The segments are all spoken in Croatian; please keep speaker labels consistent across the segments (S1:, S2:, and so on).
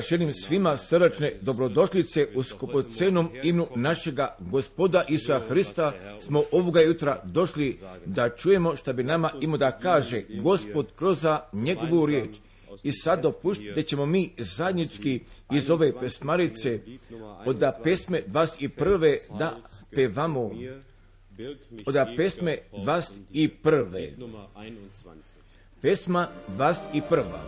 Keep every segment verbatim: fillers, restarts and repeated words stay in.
S1: Želim svima srdačne dobrodošlice u skupocenom imenu našega Gospoda Isusa Hrista. Smo ovoga jutra došli da čujemo šta bi nama imao da kaže Gospod kroz njegovu riječ. I sad dopušti da ćemo mi zajednički iz ove pesmarice od pesme dvadeset prve da pevamo. Od pesme dvadeset prve. Pesma dvadeset prva.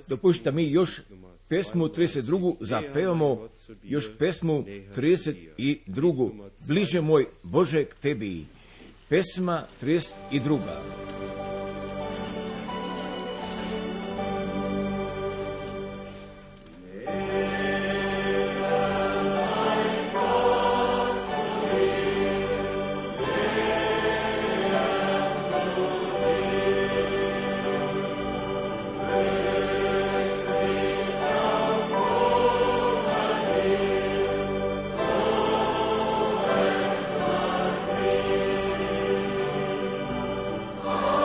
S1: Dopušta mi još pesmu trideset drugu zapevamo, još pesmu trideset drugu. Bliže moj Bože k tebi. Pesma trideset druga.
S2: Oh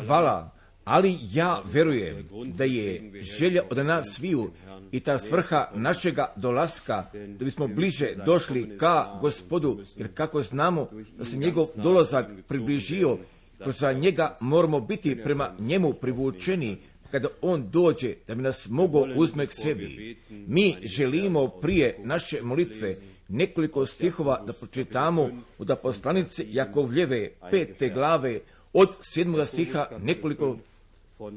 S1: Hvala, ali ja verujem da je želja od nas sviju i ta svrha našega dolaska, da bismo bliže došli ka Gospodu, jer kako znamo da se njegov dolazak približio, kroz njega moramo biti prema njemu privučeni, kada on dođe da bi nas mogao uzme k sebi. Mi želimo prije naše molitve nekoliko stihova da pročitamo od poslanice Jakovljeve pete glave od sedmoga stiha, nekoliko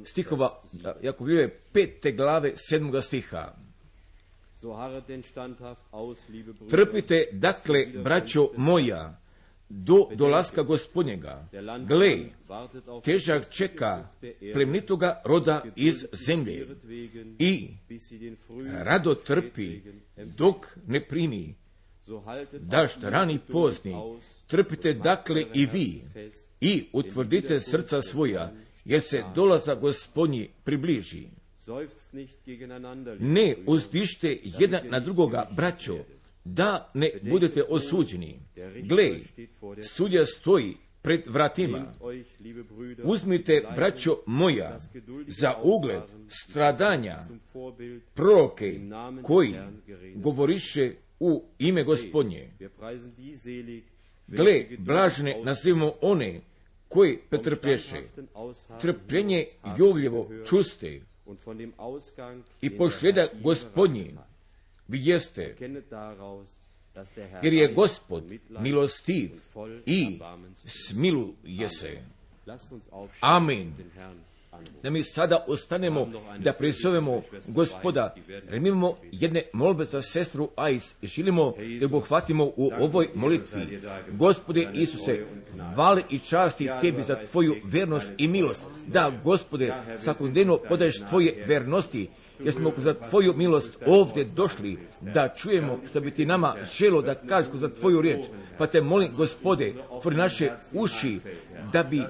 S1: stihova Jakovljeve pete glave sedmoga stiha. Trpite dakle, braćo moja, do dolaska Gospodnjega. Gle, težak čeka plemenitoga roda iz zemlje i rado trpi dok ne primi dašt rani pozni. Trpite dakle i vi i utvrdite srca svoja, jer se dolaza Gospodnji približi. Ne uzdište jedan na drugoga, braćo, da ne budete osuđeni. Gle, sudja stoji pred vratima. Uzmite, braćo moja, za ugled stradanja proroke koji govoriše u ime Gospodnje. Gle, blažene nazivamo one koji pretrplješe. Trpljenje Jovljevo čuste i pošljeda Gospodnji vi jeste, jer je Gospod milostiv i smiluje se. Amin. Da mi sada ostanemo da prisovemo Gospoda, jer mi imamo jedne molbe za sestru Ajs. Želimo da obuhvatimo u ovoj molitvi. Gospode Isuse, hvale i časti tebi za tvoju vernost i milost. Da, Gospode, svakodnevno podaješ tvoje vernosti, jer smo za tvoju milost ovdje došli da čujemo što bi ti nama želo da kažeš za tvoju riječ. Pa te molim, Gospode, otvori naše uši da bi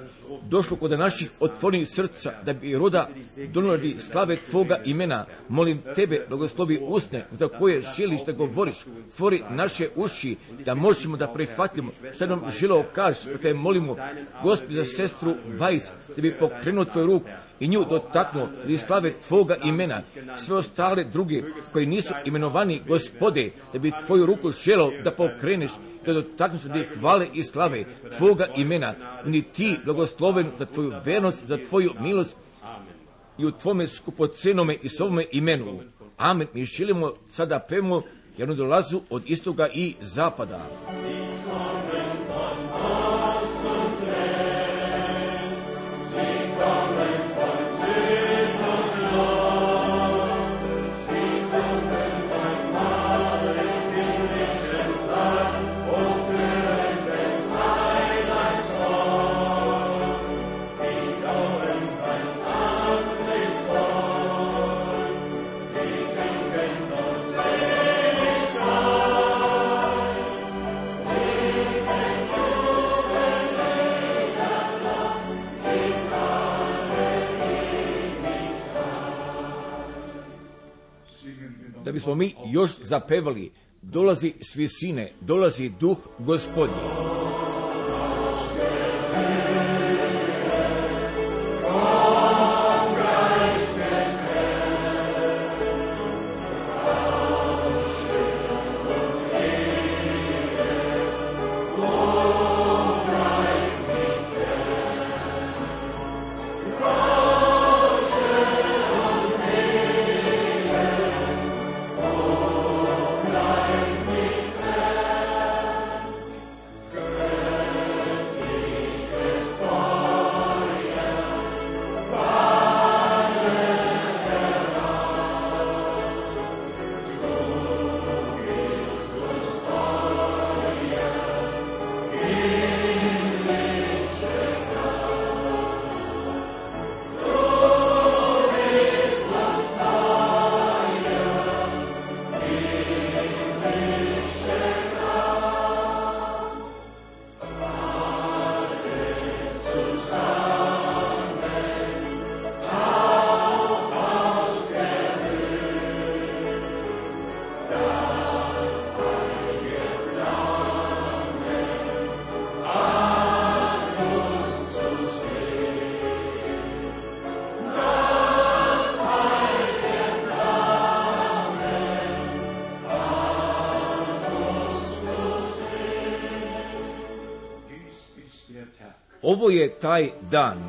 S1: došlo kod naših otvorenih srca, da bi roda donijeli slave tvoga imena. Molim tebe, blagoslovi usne za koje želiš da govoriš. Otvori naše uši da možemo da prihvatimo što nam želeo kažeš. Pa te molimo, Gospode, za sestru Vajs, da bi pokrenuo tvoju ruku i nju dotaknuo da slave tvoga imena. Sve ostale druge koji nisu imenovani, Gospode, da bi tvoju ruku želeo da pokreneš, da dotakneš da hvale i slave tvoga imena. Ni ti blagosloven za tvoju vernost, za tvoju milost i u tvome skupocenome i svome imenu. Amen. Mi želimo sada pevamo jednu dolazu od istoga i zapada. Da bismo mi još zapevali, dolazi s visine, dolazi duh Gospodnji.
S2: Good.
S1: ovo je taj dan.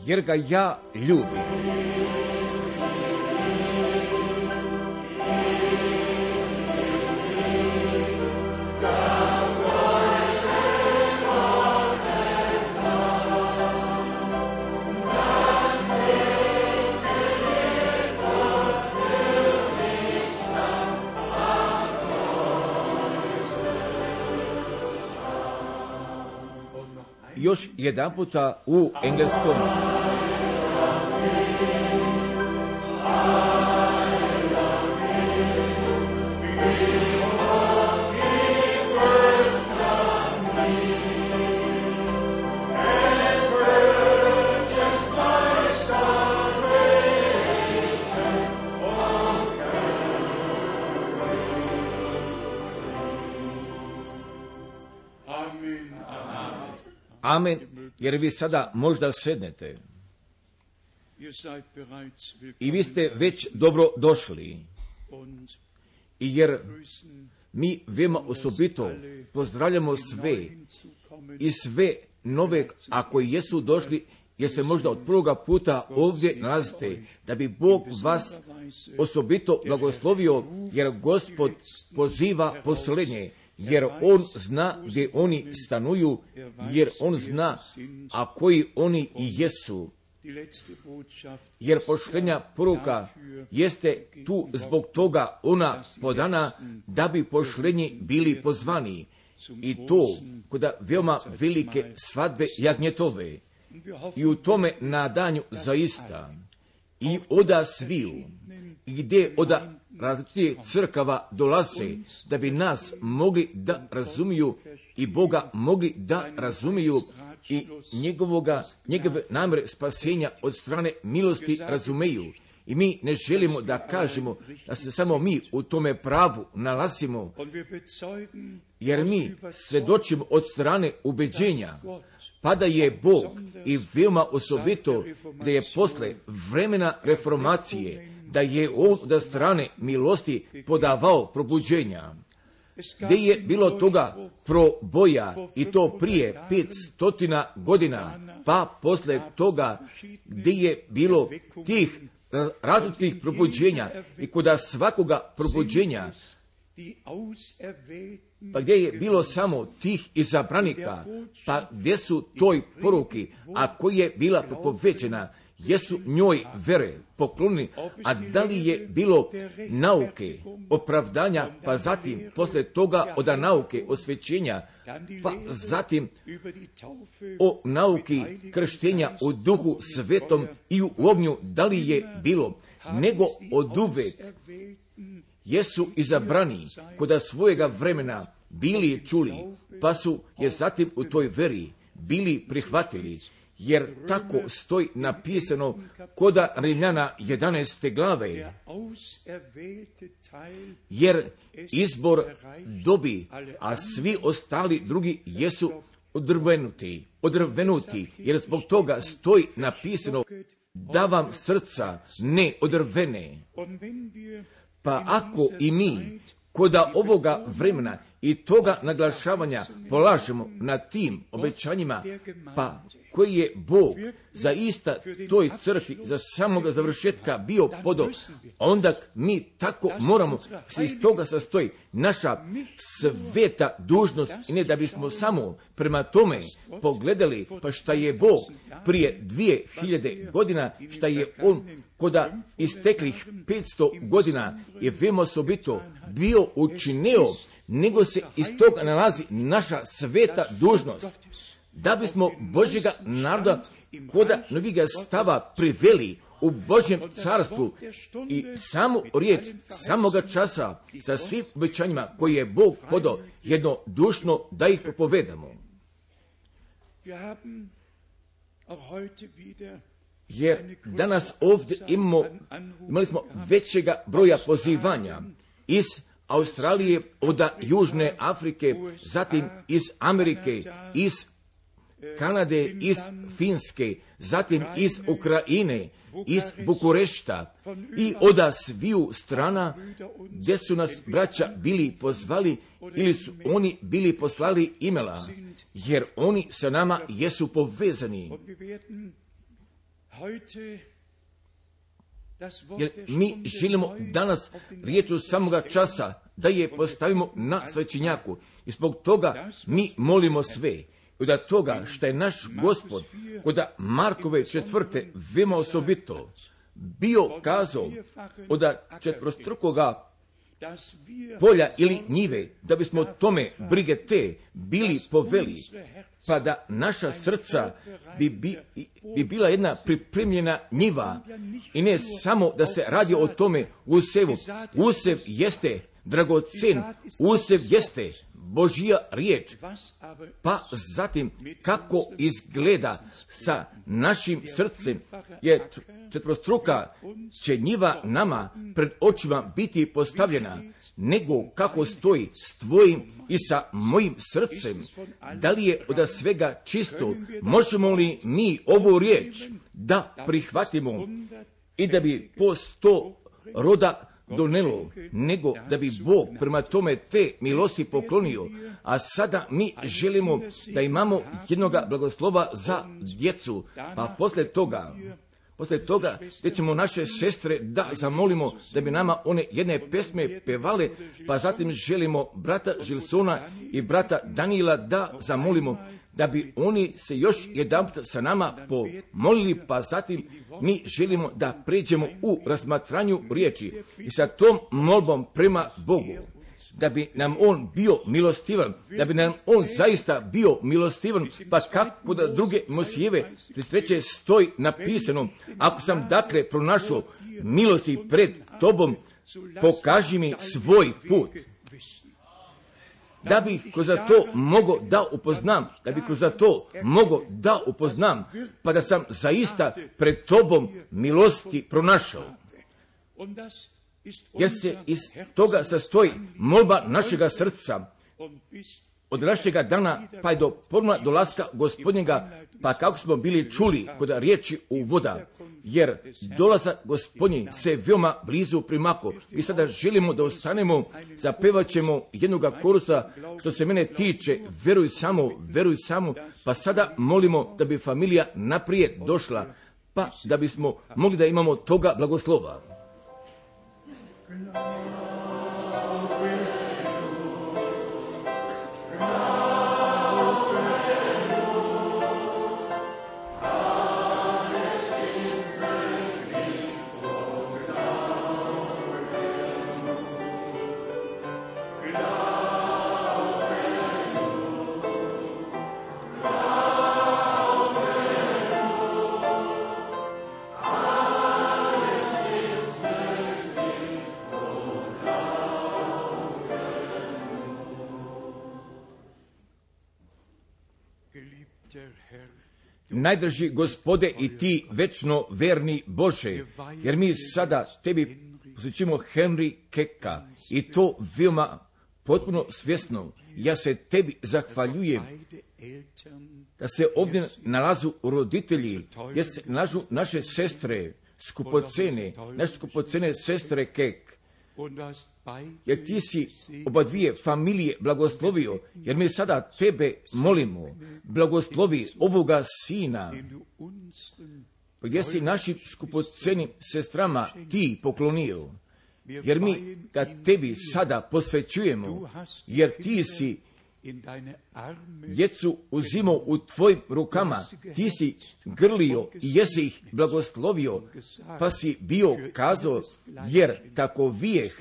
S1: Jer ga ja ljubim. Još jedan puta u engleskom. Amen, jer vi sada možda sednete i vi ste već dobro došli, i jer mi veoma osobito pozdravljamo sve i sve nove, ako jesu došli, jer se možda od prvoga puta ovdje nalazite, da bi Bog vas osobito blagoslovio, jer Gospod poziva posljednje. Jer on zna gdje oni stanuju, jer on zna, a koji oni i jesu. Jer poštenja poruka jeste tu zbog toga ona podana, da bi poštenji bili pozvani. I to kod veoma velike svadbe jagnjetove. I u tome nadanju zaista. I oda sviju, gdje oda različitih crkava dolaze, da bi nas mogli da razumiju i Boga mogli da razumiju i njegovoga, njegove namjere spasenja od strane milosti razumeju. I mi ne želimo da kažemo da se samo mi u tome pravu nalazimo, jer mi svjedočimo od strane ubeđenja, pa da je Bog i veoma osobito da je posle vremena reformacije, da je on od strane milosti podavao probuđenja, gdje je bilo toga proboja i to prije petstotina godina, pa posle toga gdje je bilo tih različitih probuđenja i kod svakoga probuđenja, pa gdje je bilo samo tih izabranika, pa gdje su toj poruki, a koji je bila propovećena, jesu njoj vere poklonili, a da li je bilo nauke, opravdanja, pa zatim posle toga od nauke osvećenja, pa zatim o nauki krštenja u duhu svetom i u ognju, da li je bilo, nego od uvek jesu izabrani kod svojega vremena bili čuli, pa su je zatim u toj veri bili prihvatili. Jer tako stoji napisano kod Rimljana jedanaeste glave, jer izbor dobi, a svi ostali drugi jesu odrvenuti, odrvenuti, jer zbog toga stoji napisano da vam srca ne odrvene. Pa ako i mi kod ovoga vremena i toga naglašavanja polažemo na tim obećanjima, pa koji je Bog za ista toj crkvi, za samoga završetka bio podo, onda mi tako moramo se iz toga sastoji naša sveta dužnost, i ne da bismo samo prema tome pogledali, pa šta je Bog prije dvije hiljade godina, šta je on koda isteklih petsto godina je veoma osobito bio učinio, nego se iz toga nalazi naša sveta dužnost, da bismo Božjega naroda koda noviga stava priveli u Božjem carstvu i samu riječ samoga časa sa svim obećanjima koje je Bog podao jednodušno da ih propovedamo. Jer danas ovdje imamo, imali smo većega broja pozivanja iz Australije, od Južne Afrike, zatim iz Amerike, iz Kanade, iz Finske, zatim iz Ukrajine, iz Bukurešta i od sviju strana gdje su nas braća bili pozvali ili su oni bili poslali imela, jer oni sa nama jesu povezani. Jer mi želimo danas riječu samoga časa da je postavimo na svećenjaku i zbog toga mi molimo sve. I od toga što je naš Gospod kod Markove četvrte veoma osobito bio kazao od četvrostrukoga polja ili njive, da bismo tome brige te bili poveli, pa da naša srca bi, bi, bi bila jedna pripremljena njiva i ne samo da se radi o tome usevu. Usev jeste dragocen, usev jeste Božja riječ, pa zatim kako izgleda sa našim srcem, jer četvostruka će njiva nama pred očima biti postavljena, nego kako stoji s tvojim i sa mojim srcem. Da li je od svega čisto? Možemo li mi ovu riječ da prihvatimo i da bi po sto roda donelo, nego da bi Bog prema tome te milosti poklonio, a sada mi želimo da imamo jednoga blagoslova za djecu, pa posle toga, posle toga gdje ćemo naše sestre da zamolimo da bi nama one jedne pesme pevale, pa zatim želimo brata Žilsona i brata Danila da zamolimo da bi oni se još jedanput sa nama pomolili, pa zatim mi želimo da pređemo u razmatranju riječi i sa tom molbom prema Bogu, da bi nam On bio milostivan, da bi nam On zaista bio milostivan, pa kako da druge Mosijeve trideset treće stoji napisano, ako sam dakle pronašao milosti pred tobom, pokaži mi svoj put. Da bih kroz to mogo da upoznam, da bih kroz to mogo da upoznam, pa da sam zaista pred tobom milosti pronašao. Jer se iz toga sastoji molba našega srca, od našega dana pa i do forma dolaska Gospodnjega, pa kako smo bili čuli kod riječi u voda, jer dolazak Gospodnji se veoma blizu primako. I sada želimo da ostanemo, zapevat ćemo jednoga korusa, što se mene tiče, veruj samo, veruj samo, pa sada molimo da bi familija naprijed došla, pa da bismo mogli da imamo toga blagoslova. Najdrži Gospode i ti večno verni Bože, jer mi sada tebi posvećujemo Henry Keka i to veoma potpuno svjesno. Ja se tebi zahvaljujem da se ovdje nalazu roditelji, gdje se nalažu naše sestre skupocene, naše skupocene sestre Kek, jer ti si oba dvije familije blagoslovio, jer mi sada tebe molimo, blagoslovi ovoga sina, gdje si našim skupocenim sestrama ti poklonio, jer mi ga tebi sada posvećujemo, jer ti si djecu uzimao u tvojim rukama, ti si grlio i jesi ih blagoslovio, pa si bio kazao, jer tako vijeh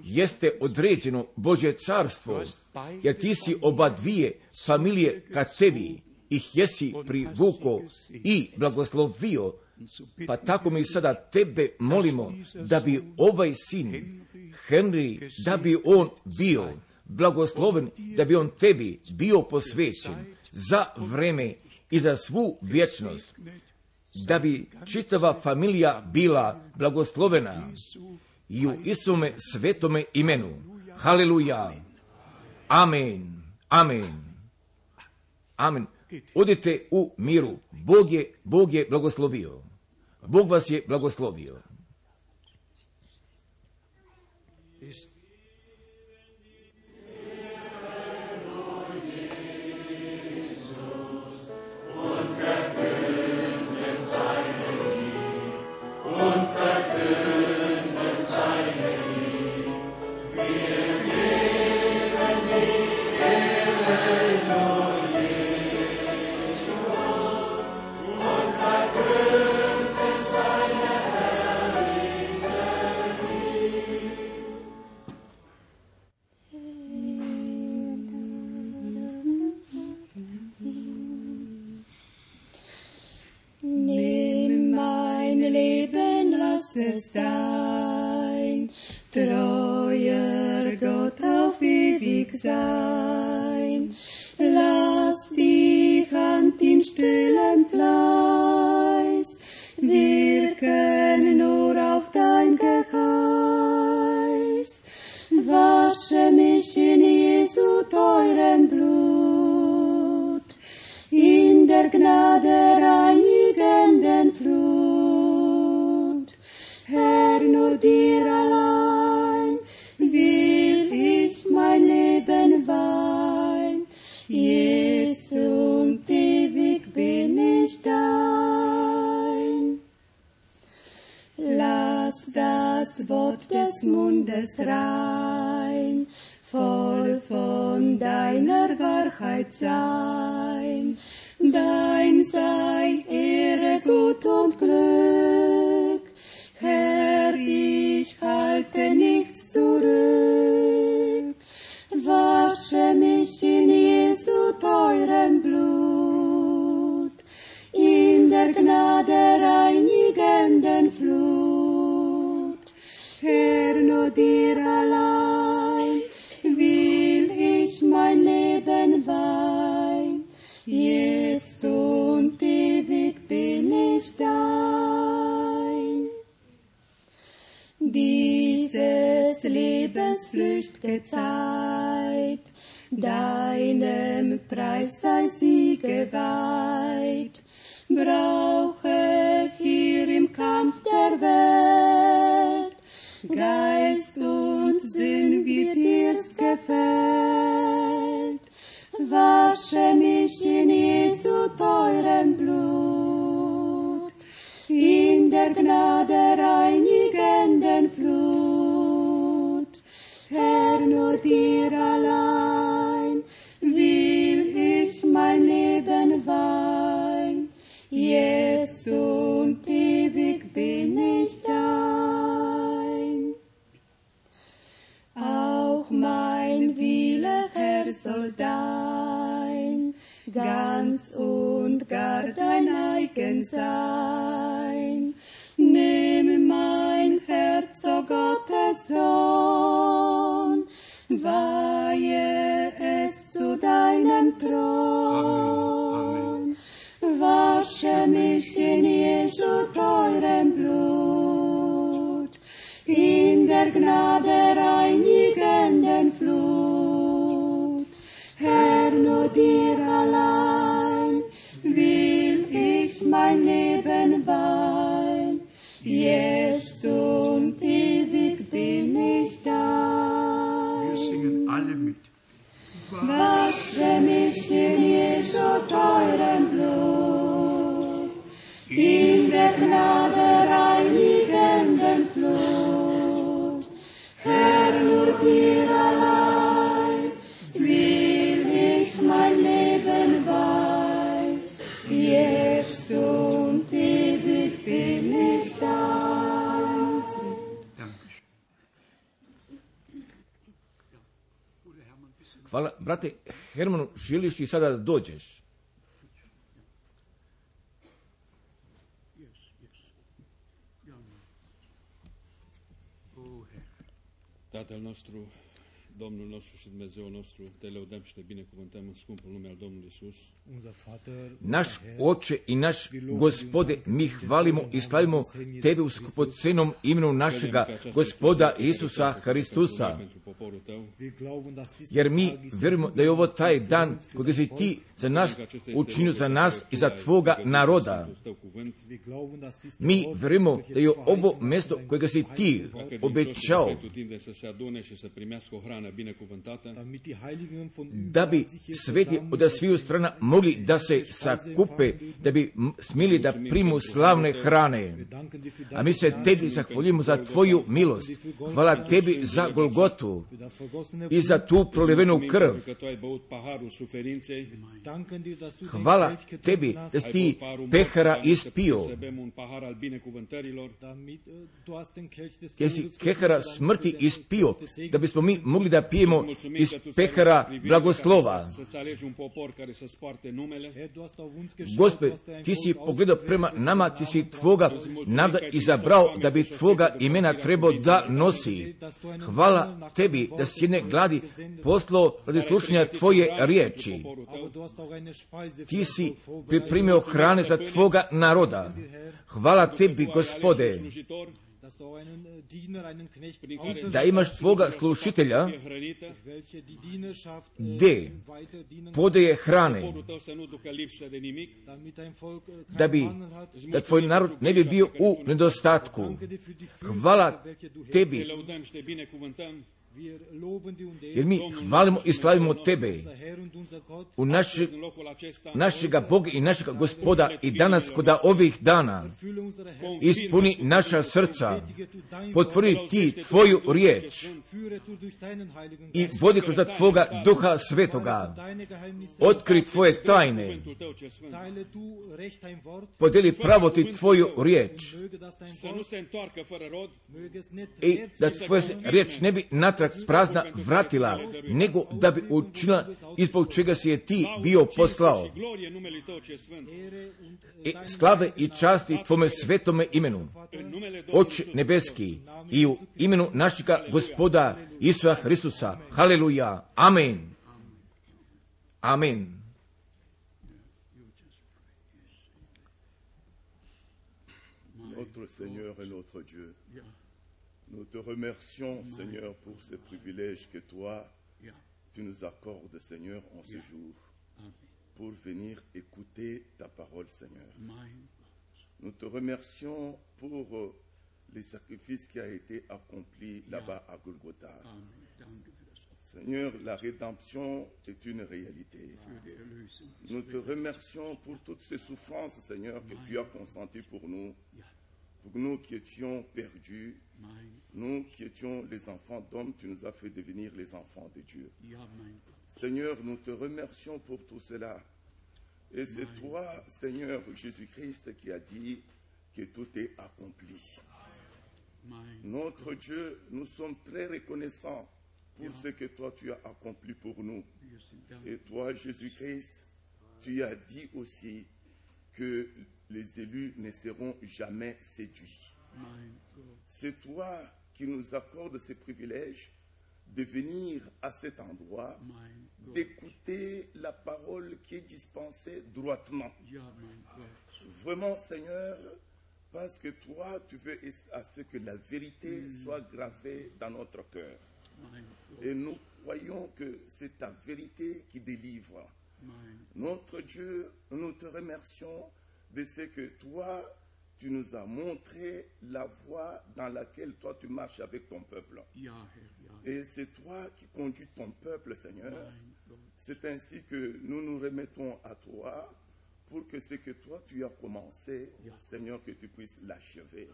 S1: jeste određeno Božje carstvo, jer ti si oba dvije familije ka tebi ih jesi privuko i blagoslovio, pa tako mi sada tebe molimo da bi ovaj sin Henry, da bi on bio blagosloven, da bi on tebi bio posvećen za vreme i za svu vječnost, da bi čitava familija bila blagoslovena i u Isume svetome imenu. Haleluja. Amen. Amen. Amen. Odite u miru. Bog je, Bog je blagoslovio. Bog vas je blagoslovio.
S2: Es dein, treuer Gott auf ewig sein. Lass dich Hand in stillem Fleiß wirken nur auf dein Geheiß. Wasche mich in Jesu teurem Blut, in der Gnade reinigenden Flut. Herr, nur dir allein will ich mein Leben weihen. Jetzt und ewig bin ich dein. Lass das Wort des Mundes rein, voll von deiner Wahrheit sein. Dein sei Ehre, Gut und Glück. Herr, ich halte nichts zurück. Wasche mich in Jesu teurem Blut, in der Gnade reinigenden Flut. Herr, nur dir allein will ich mein Leben weihen. Jetzt und ewig bin ich dein. Dieses Lebens flücht'ge Zeit, deinem Preis sei sie geweiht. Brauche hier im Kampf der Welt Geist und Sinn, wie dir's gefällt. Wasche mich in Jesu teurem Blut, in der Gnade reinigenden Flut. Herr, nur dir allein will ich mein Leben weihen. Jetzt und ewig bin ich dein. Auch mein Wille, Herr, soll dein, ganz und gar dein eigen sein. Nimm mein Herz, o Gottes Sohn, weihe es zu deinem Thron. Wasche mich in Jesu teurem Blut, in der Gnade reinigenden Flut. Herr, nur dir allein will ich mein Leben weihen. Jetzt und ewig bin ich dein.
S3: Wir singen alle mit.
S2: Wasche mich in Jesu teurem Blut, in der Gnade reinigenden Flut. Herr, nur dir allein will ich mein Leben weihen. Jetzt und ewig bin ich dein.
S1: Hvala. Brate Hermanu, želiš ti sada da dođeš?
S3: Tatăl nostru, Domnul nostru și Dumnezeul nostru, te lăudăm și te binecuvântăm în scumpul nume al Domnului Isus.
S1: Naš Oče i naš Gospode, mi hvalimo i slavimo Tebe u skupocenom imenu našega Gospoda Isusa Hristusa, jer mi vjerujemo da je ovo taj dan kojega si Ti za nas učinio, za nas i za Tvoga naroda. Mi vjerujemo da je ovo mjesto kojega si Ti obećao, da bi sveti od sviju strana mogli da se sakupe, da bi smili da primu slavne hrane. A mi se Tebi zahvaljujemo za Tvoju milost. Hvala Tebi za Golgotu i za tu prolivenu krv. Hvala Tebi da si Ti pehara ispio, jer si pehara smrti ispio, da bismo mi mogli da pijemo iz pehara blagoslova. Gospod, Ti si pogledao prema nama, Ti si Tvoga naroda izabrao da bi Tvoga imena trebao da nosi. Hvala Tebi da si jedne gladi poslao radi slušanja Tvoje riječi. Ti si pripremio hrane za Tvoga naroda. Hvala Tebi, Gospode, da imaš Tvoga slušitelja gdje podaje hrane, da bi, da Tvoj narod ne bi bio u nedostatku. Hvala Tebi, jer mi hvalimo i slavimo Tebe u naše, našega Boga i našega Gospoda i danas kod ovih dana. Ispuni naša srca, potvori Ti Tvoju riječ i vodi kroz Tvoga Duha Svetoga. Otkri Tvoje tajne, podeli pravo Ti Tvoju riječ i da Tvoja riječ ne bi natrag prazna vratila, nego da bi učinila ispod čega si je Ti bio poslao. I slave i časti Tvome svetome imenu, Oče nebeski, i u imenu našega Gospoda Isusa Hristusa. Haleluja. Amen. Amen.
S4: Notre Seigneur et notre Dieu, nous te remercions, Seigneur, pour ce privilège que toi, tu nous accordes, Seigneur, en ce jour, pour venir écouter ta parole, Seigneur. Nous te remercions pour les sacrifices qui a été accompli là-bas à Golgotha. Seigneur, la rédemption est une réalité. Nous te remercions pour toutes ces souffrances, Seigneur, que tu as consenties pour nous, pour nous qui étions perdus, nous qui étions les enfants d'hommes, tu nous as fait devenir les enfants de Dieu. Seigneur, nous te remercions pour tout cela. Et c'est toi, Seigneur Jésus-Christ, qui a dit que tout est accompli. Notre Dieu, nous sommes très reconnaissants pour ce que toi tu as accompli pour nous. Et toi, Jésus-Christ, tu as dit aussi que les élus ne seront jamais séduits. C'est toi qui nous accordes ce privilège de venir à cet endroit, d'écouter la parole qui est dispensée droitement. Vraiment, Seigneur, parce que toi, tu veux à ce que la vérité soit gravée dans notre cœur. Et nous croyons que c'est ta vérité qui délivre. Notre Dieu, nous te remercions de ce que toi, tu nous as montré la voie dans laquelle toi tu marches avec ton peuple. Et c'est toi qui conduis ton peuple, Seigneur. C'est ainsi que nous nous remettons à toi pour que ce que toi tu as commencé, Seigneur, que tu puisses l'achever.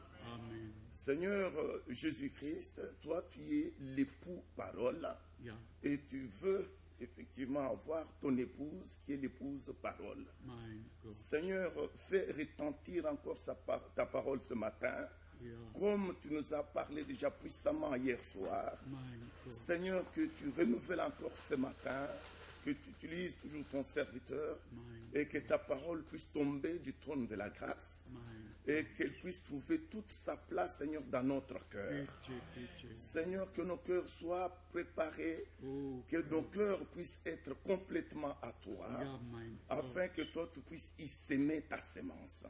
S4: Seigneur Jésus-Christ, toi tu es l'époux parole et tu veux effectivement avoir ton épouse qui est l'épouse parole. Seigneur, fais retentir encore sa, ta parole ce matin, comme tu nous as parlé déjà puissamment hier soir. Seigneur, que tu renouvelles encore ce matin, que tu utilises toujours ton serviteur et que ta parole puisse tomber du trône de la grâce et qu'elle puisse trouver toute sa place, Seigneur, dans notre cœur. Seigneur, que nos cœurs soient préparés, que nos cœurs puissent être complètement à toi, afin que toi, tu puisses y s'aimer ta sémence.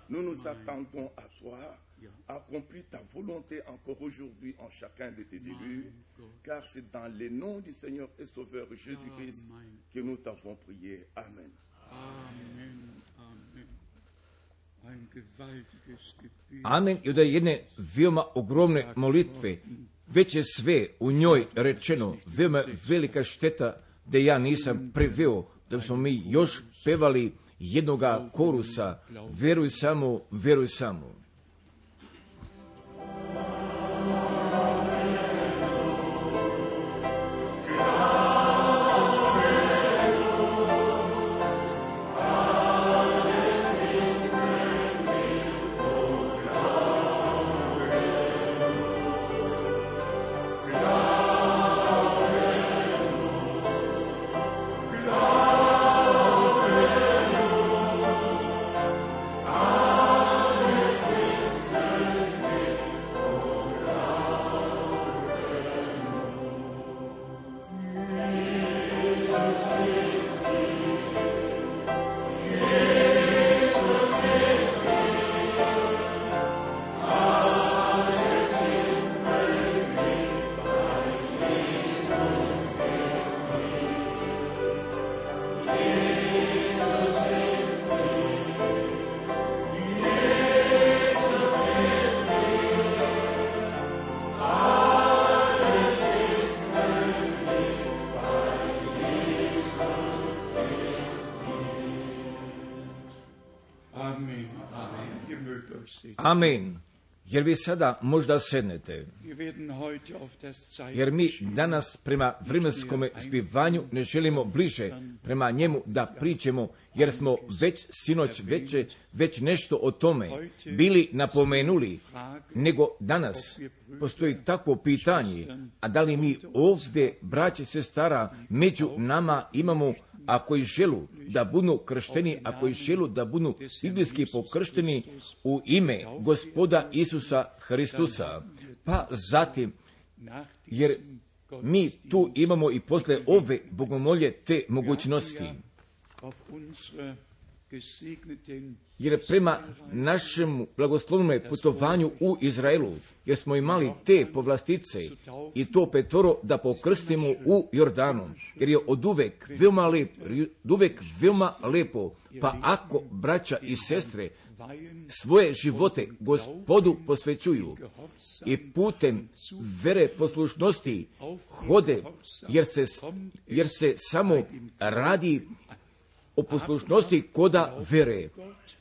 S4: Nous nous attendons à toi. Accomplis ta volonté encore aujourd'hui en chacun de tes élus, car c'est dans le nom du Seigneur et Sauveur Jésus-Christ que nous t'avons prié. Amen.
S1: Amen. I od jedne veoma ogromne molitve, već je sve u njoj rečeno, veoma velika šteta da ja nisam preveo, da smo mi još pevali jednoga korusa, veruj samo, veruj samo. Amen. Jer vi sada možda sednete, jer mi danas prema vremenskom zbivanju ne želimo bliže prema njemu da pričemo, jer smo već sinoć veće, već nešto o tome bili napomenuli, nego danas postoji takvo pitanje, a da li mi ovdje, braće i sestara, među nama imamo, a koji želu da budu kršteni, a koji želu da budu biblijski pokršteni u ime Gospoda Isusa Hristusa. Pa zatim, jer mi tu imamo i posle ove bogomolje te mogućnosti. Jer prema našem blagoslovnom putovanju u Izraelu, jer smo imali te povlastice i to petoro da pokrstimo u Jordanu, jer je od uvek veoma lepo, od uvek veoma lepo, pa ako braća i sestre svoje živote Gospodu posvećuju i putem vere poslušnosti hode, jer se, jer se samo radi o poslušnosti koda vere.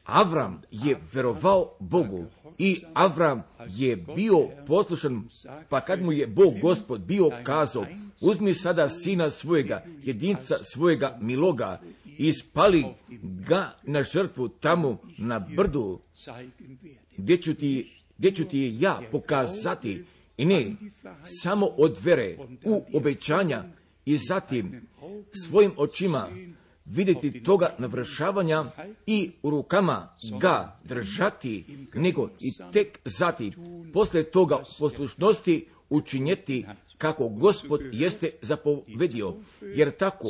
S1: Avram je verovao Bogu i Avram je bio poslušan, pa kad mu je Bog Gospod bio kazao, uzmi sada sina svojega, jedinca svojega miloga, i spali ga na žrtvu tamo na brdu, gdje ću ti, gdje ću ti ja pokazati, i ne samo od vere u obećanja, i zatim svojim očima vidjeti toga navršavanja i u rukama ga držati, nego i tek zatim posle toga poslušnosti učinjeti kako Gospod jeste zapovedio, jer tako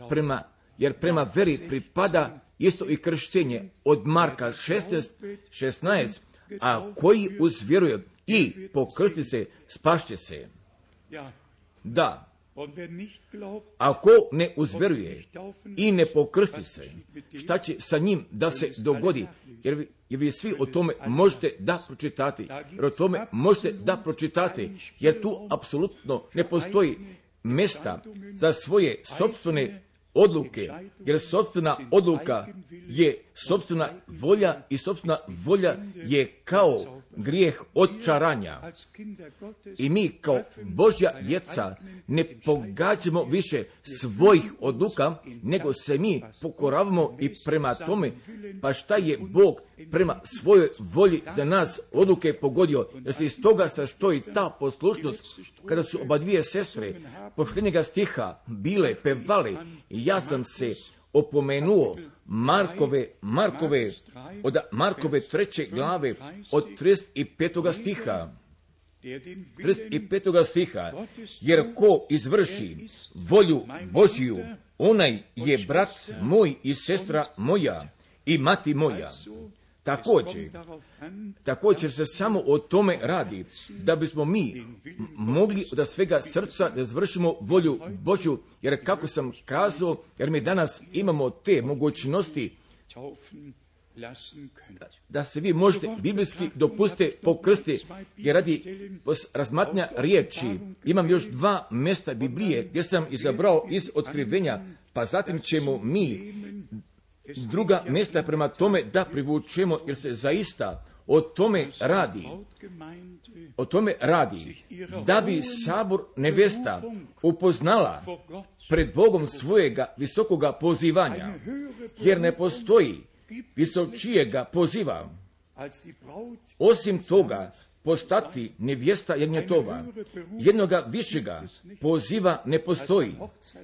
S1: prema, jer prema veri pripada isto i krštenje od Marka šesnaest šesnaest, a koji uzvjeruje i pokrsti se, spašće se. Da. Ako ne uzveruje i ne pokrsti se, šta će sa njim da se dogodi? Jer vi, jer vi svi o tome možete da pročitati. Jer o tome možete da pročitati. Jer tu apsolutno ne postoji mjesta za svoje sopstvene odluke. Jer sopstvena odluka je sopstvena volja i sopstvena volja je kao grijeh odčaranja. I mi kao Božja djeca ne pogađamo više svojih odluka, nego se mi pokoravamo i prema tome, pa šta je Bog prema svojoj volji za nas odluke pogodio, jer se iz toga sastoji ta poslušnost. Kada su oba dvije sestre poštenjega stiha bile pevale, i ja sam se opomenuo Markove, Markove, od Markove treće glave od trideset petoga stiha. trideset petoga stiha, jer ko izvrši volju Božju, onaj je brat moj i sestra moja i mati moja. Također, također se samo o tome radi, da bismo mi mogli od svega srca da izvršimo volju Božju, jer kako sam kazao, jer mi danas imamo te mogućnosti da se vi možete biblijski dopustite pokrstiti, jer radi razmatranja riječi imam još dva mjesta Biblije gdje sam izabrao iz otkrivenja, pa zatim ćemo mi druga mjesta prema tome da privučemo, jer se zaista o tome radi. O tome radi da bi sabor nevesta upoznala pred Bogom svojega visokoga pozivanja, jer ne postoji visočijega poziva. Osim toga, postati nevjesta jagnjetova, jednoga višega poziva ne postoji,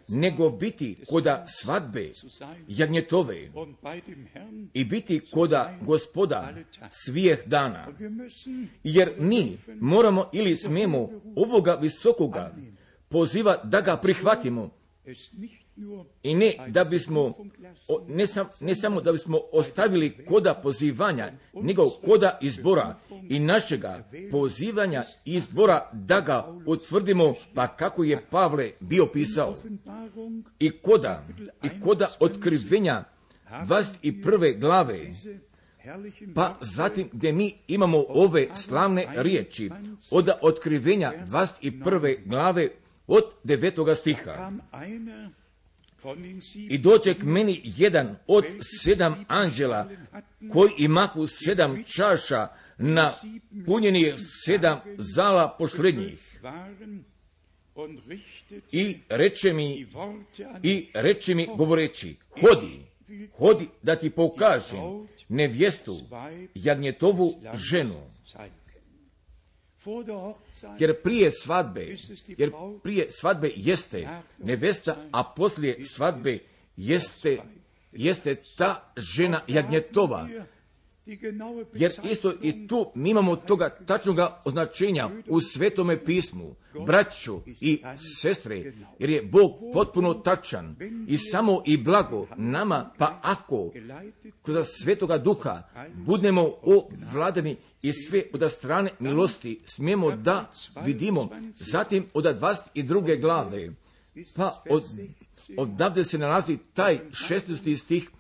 S1: nego biti koda svadbe jagnjetove i biti koda Gospoda svijeh dana. Jer mi moramo ili smijemo ovoga visokoga poziva da ga prihvatimo, i ne da bismo, ne, sam, ne samo da bismo ostavili koda pozivanja, nego koda izbora i našega pozivanja i izbora da ga utvrdimo, pa kako je Pavle bio pisao. I koda, i koda otkrivenja dvadeset prve glave, pa zatim gdje mi imamo ove slavne riječi od otkrivenja dvadeset prve glave od devetoga stiha. I dođe k meni jedan od sedam anđela koji imahu sedam čaša na punjeni sedam zala pošrednjih. I reče mi, i reče mi govoreći, hodi, hodi da ti pokažem nevjestu, jagnjetovu ženu. Jer prije svadbe, jer prije svadbe jeste nevesta, a poslije svadbe jeste, jeste ta žena jagnjetova. Jer isto i tu mi imamo toga tačnoga označenja u Svetome pismu, braćo i sestre, jer je Bog potpuno tačan i samo i blago nama, pa ako kroz Svetoga Duha budemo ovladani i sve od strane milosti smijemo da vidimo, zatim od dvadeset druge glave, pa od, odavde se nalazi taj šesnaesti stih,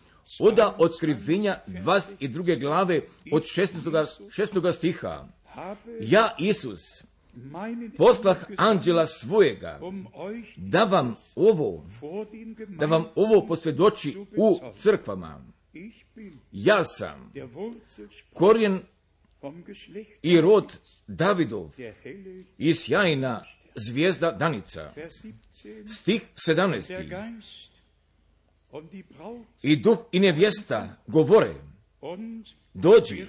S1: od otkrivenja dvadeset druge glave od šesnaestog stiha. Ja, Isus, poslah anđela svojega, da vam ovo, da vam ovo posvjedoči u crkvama. Ja sam korijen i rod Davidov i sjajna zvijezda danica. Stih sedamnaesti. I duh i nevjesta govore, dođi,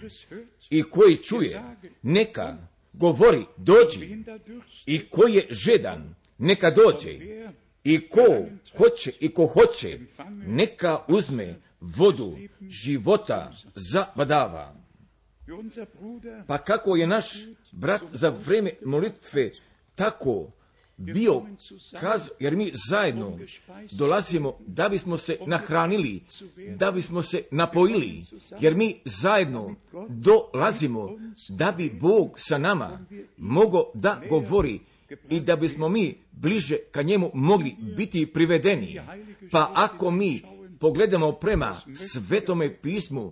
S1: i koji čuje, neka govori, dođi, i ko je žedan, neka dođe, i ko hoće, i ko hoće, neka uzme vodu života za vadava. Pa kako je naš brat za vrijeme molitve tako bio kazao, jer mi zajedno dolazimo da bismo se nahranili, da bismo se napojili, jer mi zajedno dolazimo da bi Bog sa nama mogao da govori i da bismo mi bliže ka njemu mogli biti privedeni. Pa ako mi pogledamo prema Svetome pismu,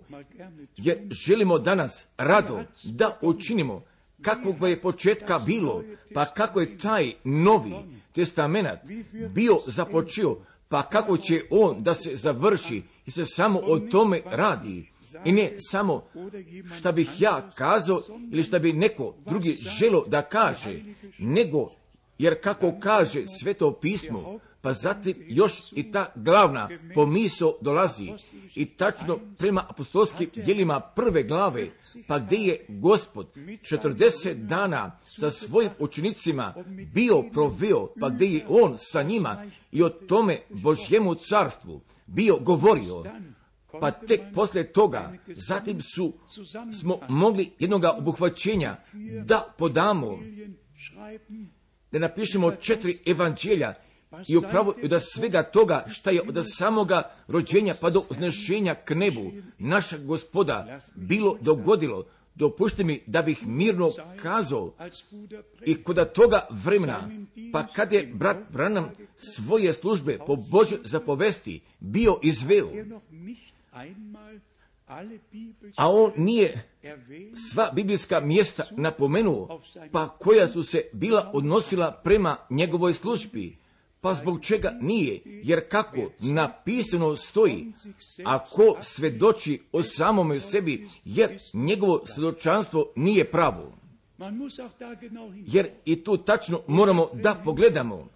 S1: jer želimo danas rado da učinimo kakvog je početka bilo, pa kako je taj novi testament bio započeo, pa kako će on da se završi, i se samo o tome radi. I ne samo šta bih ja kazao ili šta bi neko drugi želo da kaže, nego jer kako kaže Sveto pismo, pa zatim još i ta glavna pomisao dolazi i tačno prema apostolskim djelima prve glave, pa gdje je Gospod četrdeset dana sa svojim učenicima bio proveo, pa gdje je on sa njima i o tome Božjemu carstvu bio govorio, pa tek poslije toga, zatim su, smo mogli jednoga obuhvaćenja da podamo, da napišemo četiri evanđelja i upravo da svega toga šta je od samoga rođenja pa do uznešenja k nebu naša Gospoda bilo dogodilo. Dopušte mi da bih mirno kazao i kod toga vremena, pa kad je brat Branham svoje službe po Božjoj zapovesti bio izveo, a on nije sva biblijska mjesta napomenuo, pa koja su se bila odnosila prema njegovoj službi. Pa zbog čega nije? Jer kako napisano stoji, ako svedoči o samome sebi, jer njegovo svjedočanstvo nije pravo. Jer i tu tačno moramo da pogledamo.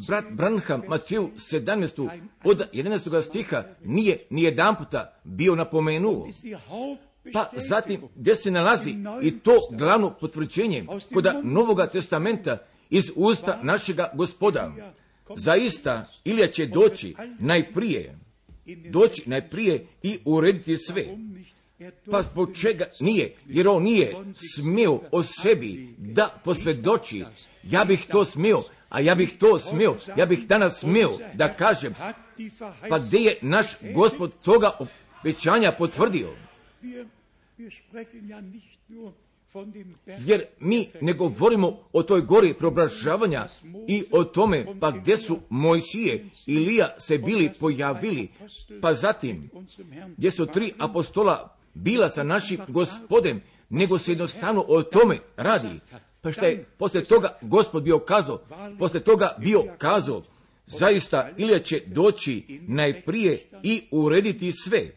S1: Brat Branham Mateju sedamnaest od jedanaestog stiha nije ni jedan puta bio napomenuo. Pa zatim gdje se nalazi i to glavno potvrđenje kod Novoga testamenta iz usta našega Gospoda. Zaista Ilija će doći najprije, doći najprije i urediti sve. Pa zbog čega nije? Jer on nije smio o sebi da posvjedoči. Ja bih to smio, a ja bih to smio, ja bih danas smio da kažem, pa gdje je naš Gospod toga obećanja potvrdio? Jer mi ne govorimo o toj gori preobražavanja i o tome pa gdje su Mojsije i Ilija se bili pojavili, pa zatim gdje su tri apostola bila sa našim Gospodem, nego se jednostavno o tome radi. Pa šta je poslije toga Gospod bio kazao? Poslije toga bio kazao, zaista Ilija će doći najprije i urediti sve.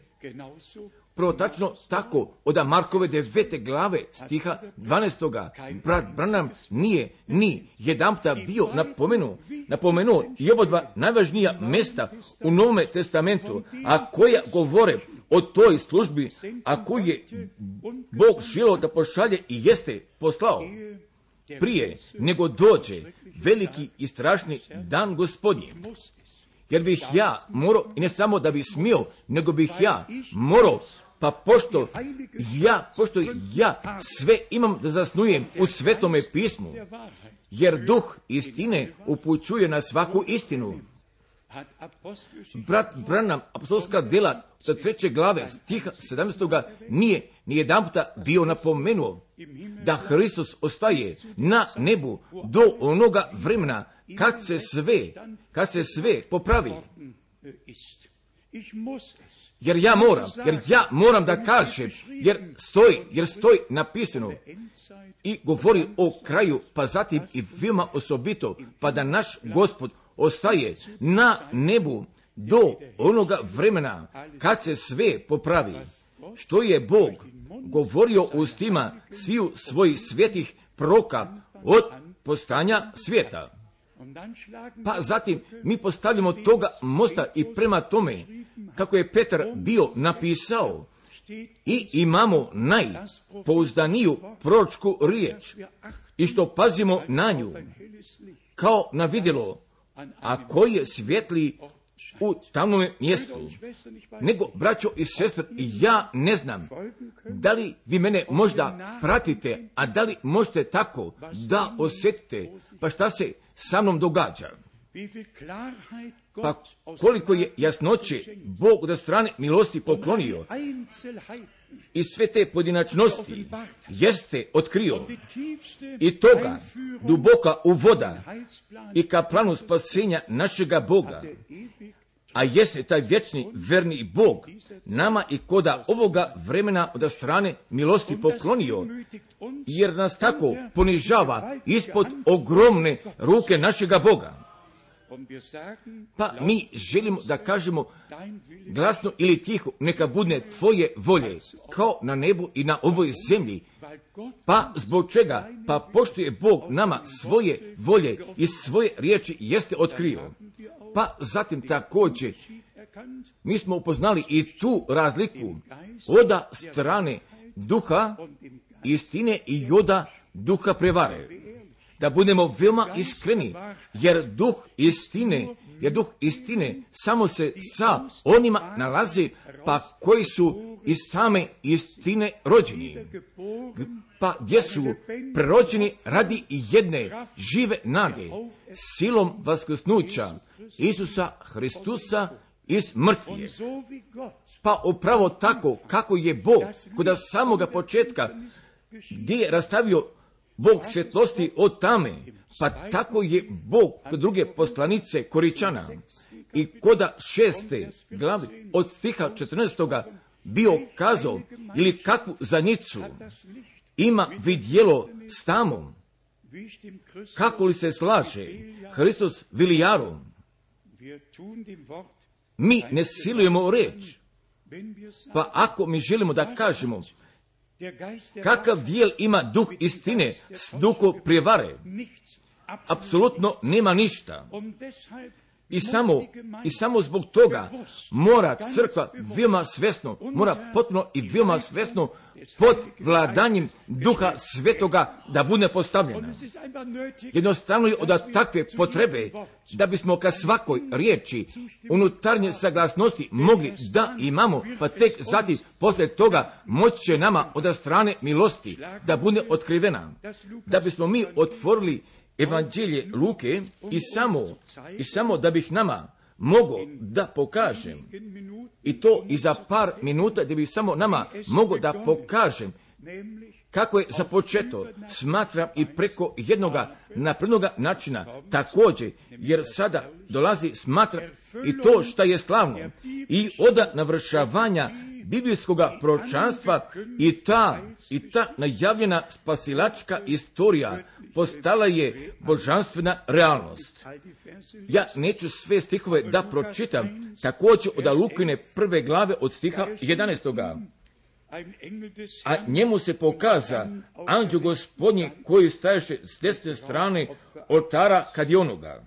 S1: Prvo tačno tako, od Markove devete glave stiha dvanaestoga brat Branham nije ni jedanputa bio napomenuo, napomenuo i oba dva najvažnija mjesta u Novome testamentu, a koja govore o toj službi, a koju je Bog želio da pošalje i jeste poslao prije nego dođe veliki i strašni dan Gospodnji. Jer bih ja morao, i ne samo da bih smio, nego bih ja morao, pa pošto ja, pošto ja sve imam da zasnujem u Svetome pismu, jer duh istine upućuje na svaku istinu. Brat Branham, apostolska djela sa treće glave, stiha sedamnaestoga nije ni jedan puta bio napomenuo da Hristos ostaje na nebu do onoga vremena kad se sve, kad se sve popravi. Jer ja moram, jer ja moram da kažem, jer stoji, jer stoji napisano i govori o kraju, pa zatim i veoma osobito, pa da naš Gospod ostaje na nebu do onoga vremena kad se sve popravi. Što je Bog govorio ustima sviju svojih svetih proroka od postanja svijeta. Pa zatim mi postavljamo toga mosta i prema tome kako je Petar bio napisao i imamo najpouzdaniju proročku riječ i što pazimo na nju kao na vidjelo, a koji je svjetli u tamnom mjestu. Nego, braćo i sestre, ja ne znam da li vi mene možda pratite, a da li možete tako da osjetite pa šta se sa mnom događa. Pa koliko je jasnoće Bog od strane milosti poklonio i sve te pojedinačnosti jeste otkrio i toga duboka uvoda i ka planu spasenja našega Boga, a jeste taj vječni verni Bog nama i koda ovoga vremena od strane milosti poklonio, jer nas tako ponižava ispod ogromne ruke našega Boga. Pa mi želimo da kažemo glasno ili tiho, neka budne tvoje volje, kao na nebu i na ovoj zemlji. Pa zbog čega? Pa pošto je Bog nama svoje volje i svoje riječi jeste otkrio. Pa zatim također mi smo upoznali i tu razliku od strane duha istine i od duha prevare. Da budemo veoma iskreni, jer duh istine jer duh istine samo se sa onima nalazi, pa koji su iz same istine rođeni, pa gdje su prerođeni radi jedne žive nade, silom vaskrsnuća Isusa Hristusa iz mrtvih. Pa upravo tako kako je Bog kod samoga početka, gdje je rastavio Bog svjetlosti od tame, pa tako je Bog kod druge poslanice Koričana i koda šeste glave od stiha četrnaestoga bio kazao, ili kakvu zanicu ima vidjelo s tamom, kako li se slaže Hristos Vilijarom. Mi ne silujemo reč, pa ako mi želimo da kažemo kakav dijel ima duh istine s duhom prijevare, apsolutno nema ništa. I samo, I samo zbog toga mora crkva veoma svesno, mora potpuno i veoma svesno pod vladanjem Duha Svetoga da bude postavljena. Jednostavno je od takve potrebe da bismo ka svakoj riječi unutarnje saglasnosti mogli da imamo, pa tek zatim posle toga moći će nama od strane milosti da bude otkrivena. Da bismo mi otvorili Evanđelje Luke i samo, i samo da bih nama mogao da pokažem, i to i za par minuta da bih samo nama mogao da pokažem kako je započeto, smatram i preko jednoga naprednoga načina također, jer sada dolazi smatram i to što je slavno i od navršavanja biblijskog proročanstva i ta, i ta najavljena spasilačka istorija postala je božanstvena realnost. Ja neću sve stihove da pročitam, također od Lukine prve glave od stiha jedanaestoga. A njemu se pokaza anđeo Gospodnji koji staješe s desne strane oltara kad je onoga.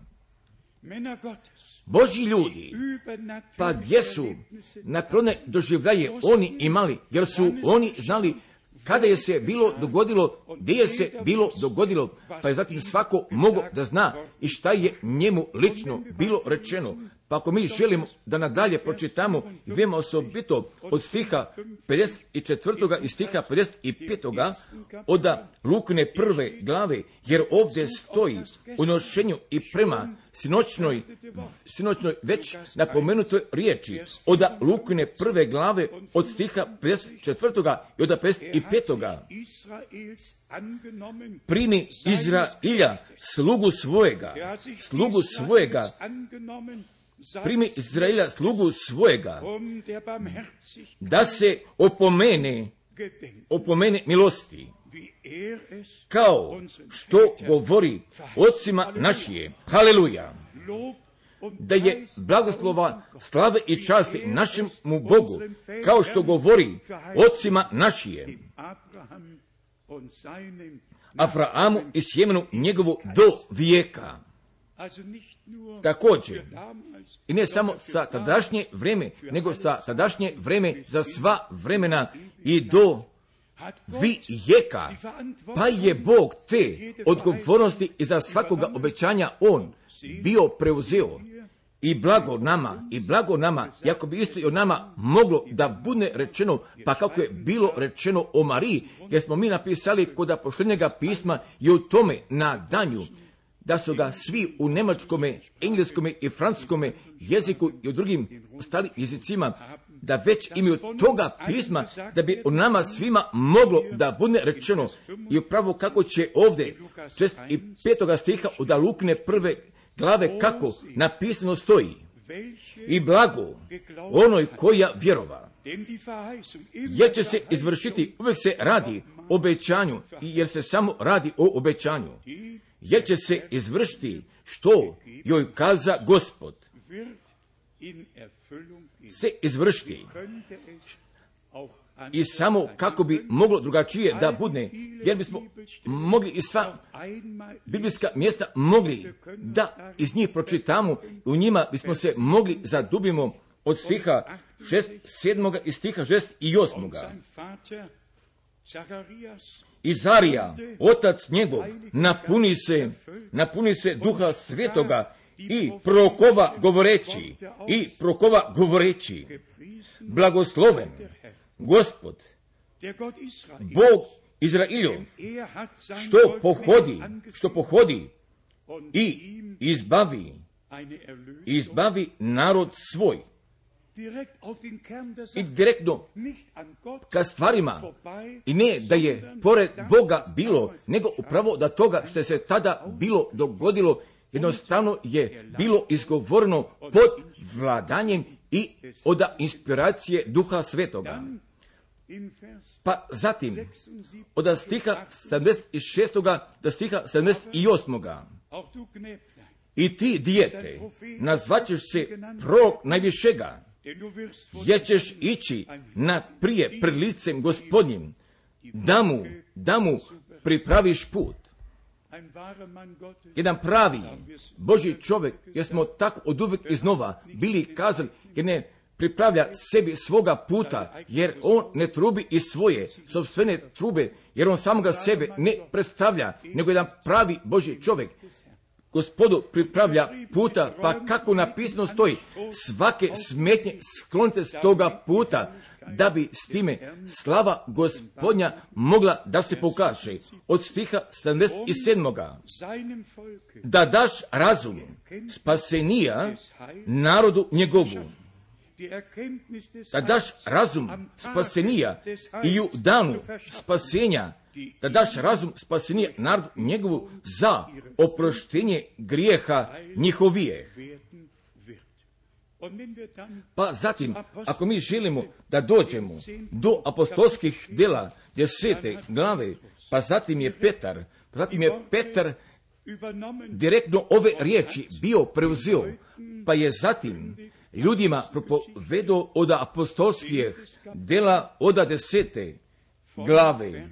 S1: Božji ljudi, pa gdje su naklone doživljaje oni imali, jer su oni znali kada je se bilo dogodilo, gdje je se bilo dogodilo, pa je zatim svako mogao da zna i šta je njemu lično bilo rečeno. Pa ako mi želimo da nadalje pročitamo i veoma osobito od stiha pedeset četvrtoga i stiha pedeset petog od Lukine prve glave, jer ovdje stoji u nošenju i prema sinoćnoj, sinoćnoj već napomenutoj riječi od Lukine prve glave od stiha pedeset četvrtoga i od pedeset petoga. Primi Izrailja, slugu svojega, slugu svojega, primi Izraila slugu svojega, da se opomene, opomene milosti, kao što govori ocima našije. Haleluja! Da je blagoslova, slave i časti našemu Bogu, kao što govori ocima našije, Abrahamu i sjemenu njegovu do vijeka. Također, i ne samo sa tadašnje vreme, nego sa tadašnje vreme za sva vremena i do vijeka. Pa je Bog te odgovornosti i za svakoga obećanja on bio preuzeo. I blago nama, i blago nama, jako bi isto i o nama moglo da bude rečeno, pa kako je bilo rečeno o Mariji, jer smo mi napisali kod posljednjega pisma i u tome nadanju, da su ga svi u njemačkome, engleskome i francuskome jeziku i u drugim ostalim jezicima, da već imaju toga pisma, da bi o nama svima moglo da bude rečeno. I upravo kako će ovdje šezdeset petoga stiha od Lukine prve glave kako napisano stoji. I blago onoj koja vjerova, jer će se izvršiti, uvijek se radi o obećanju, jer se samo radi o obećanju. Jer će se izvršiti što joj kaza Gospod. Se izvršiti. I samo kako bi moglo drugačije da bude, jer bismo mogli i sva biblijska mjesta mogli da iz njih pročitamo, u njima bismo se mogli zadubimo od stiha šezdeset sedmoga i stiha šezdeset osmoga. Izarija, otac njegov, napuni se, napuni se Duha Svetoga i prorokova govoreći, i prorokova govoreći, blagosloven Gospod, Bog Izrailov, što pohodi, što pohodi i izbavi, izbavi narod svoj. I direktno ka stvarima, i ne da je pored Boga bilo, nego upravo da toga što se tada bilo dogodilo, jednostavno je bilo izgovoreno pod vladanjem i od inspiracije Duha Svetoga. Pa zatim, od stiha sedamdeset šest. do stiha sedamdeset osam. I ti, dijete, nazvaćeš se prorok najvišega, jer ćeš ići naprije pred licem Gospodnjim, da mu, da mu pripraviš put. Jedan pravi Božji čovjek, jer smo tako od uvijek iznova bili kazali, jer ne pripravlja sebi svoga puta, jer on ne trubi iz svoje sopstvene trube, jer on samoga sebe ne predstavlja, nego jedan pravi Božji čovjek Gospodu pripravlja puta, pa kako napisano stoji, svake smetnje sklonite s toga puta, da bi s time slava Gospodnja mogla da se pokaže. Od stiha sedamdeset sedam. Da daš razum spasenija narodu njegovu. Da daš razum spasenija i u danu spasenja, da daš razum spasenija narodu njegovu za oproštenje grijeha njihovijeh. Pa zatim, ako mi želimo da dođemo do apostolskih djela desete glave, pa zatim je Petar, pa zatim je Petar direktno ove riječi bio preuzeo, pa je zatim ljudima propovedao od apostolskih djela od desete glave,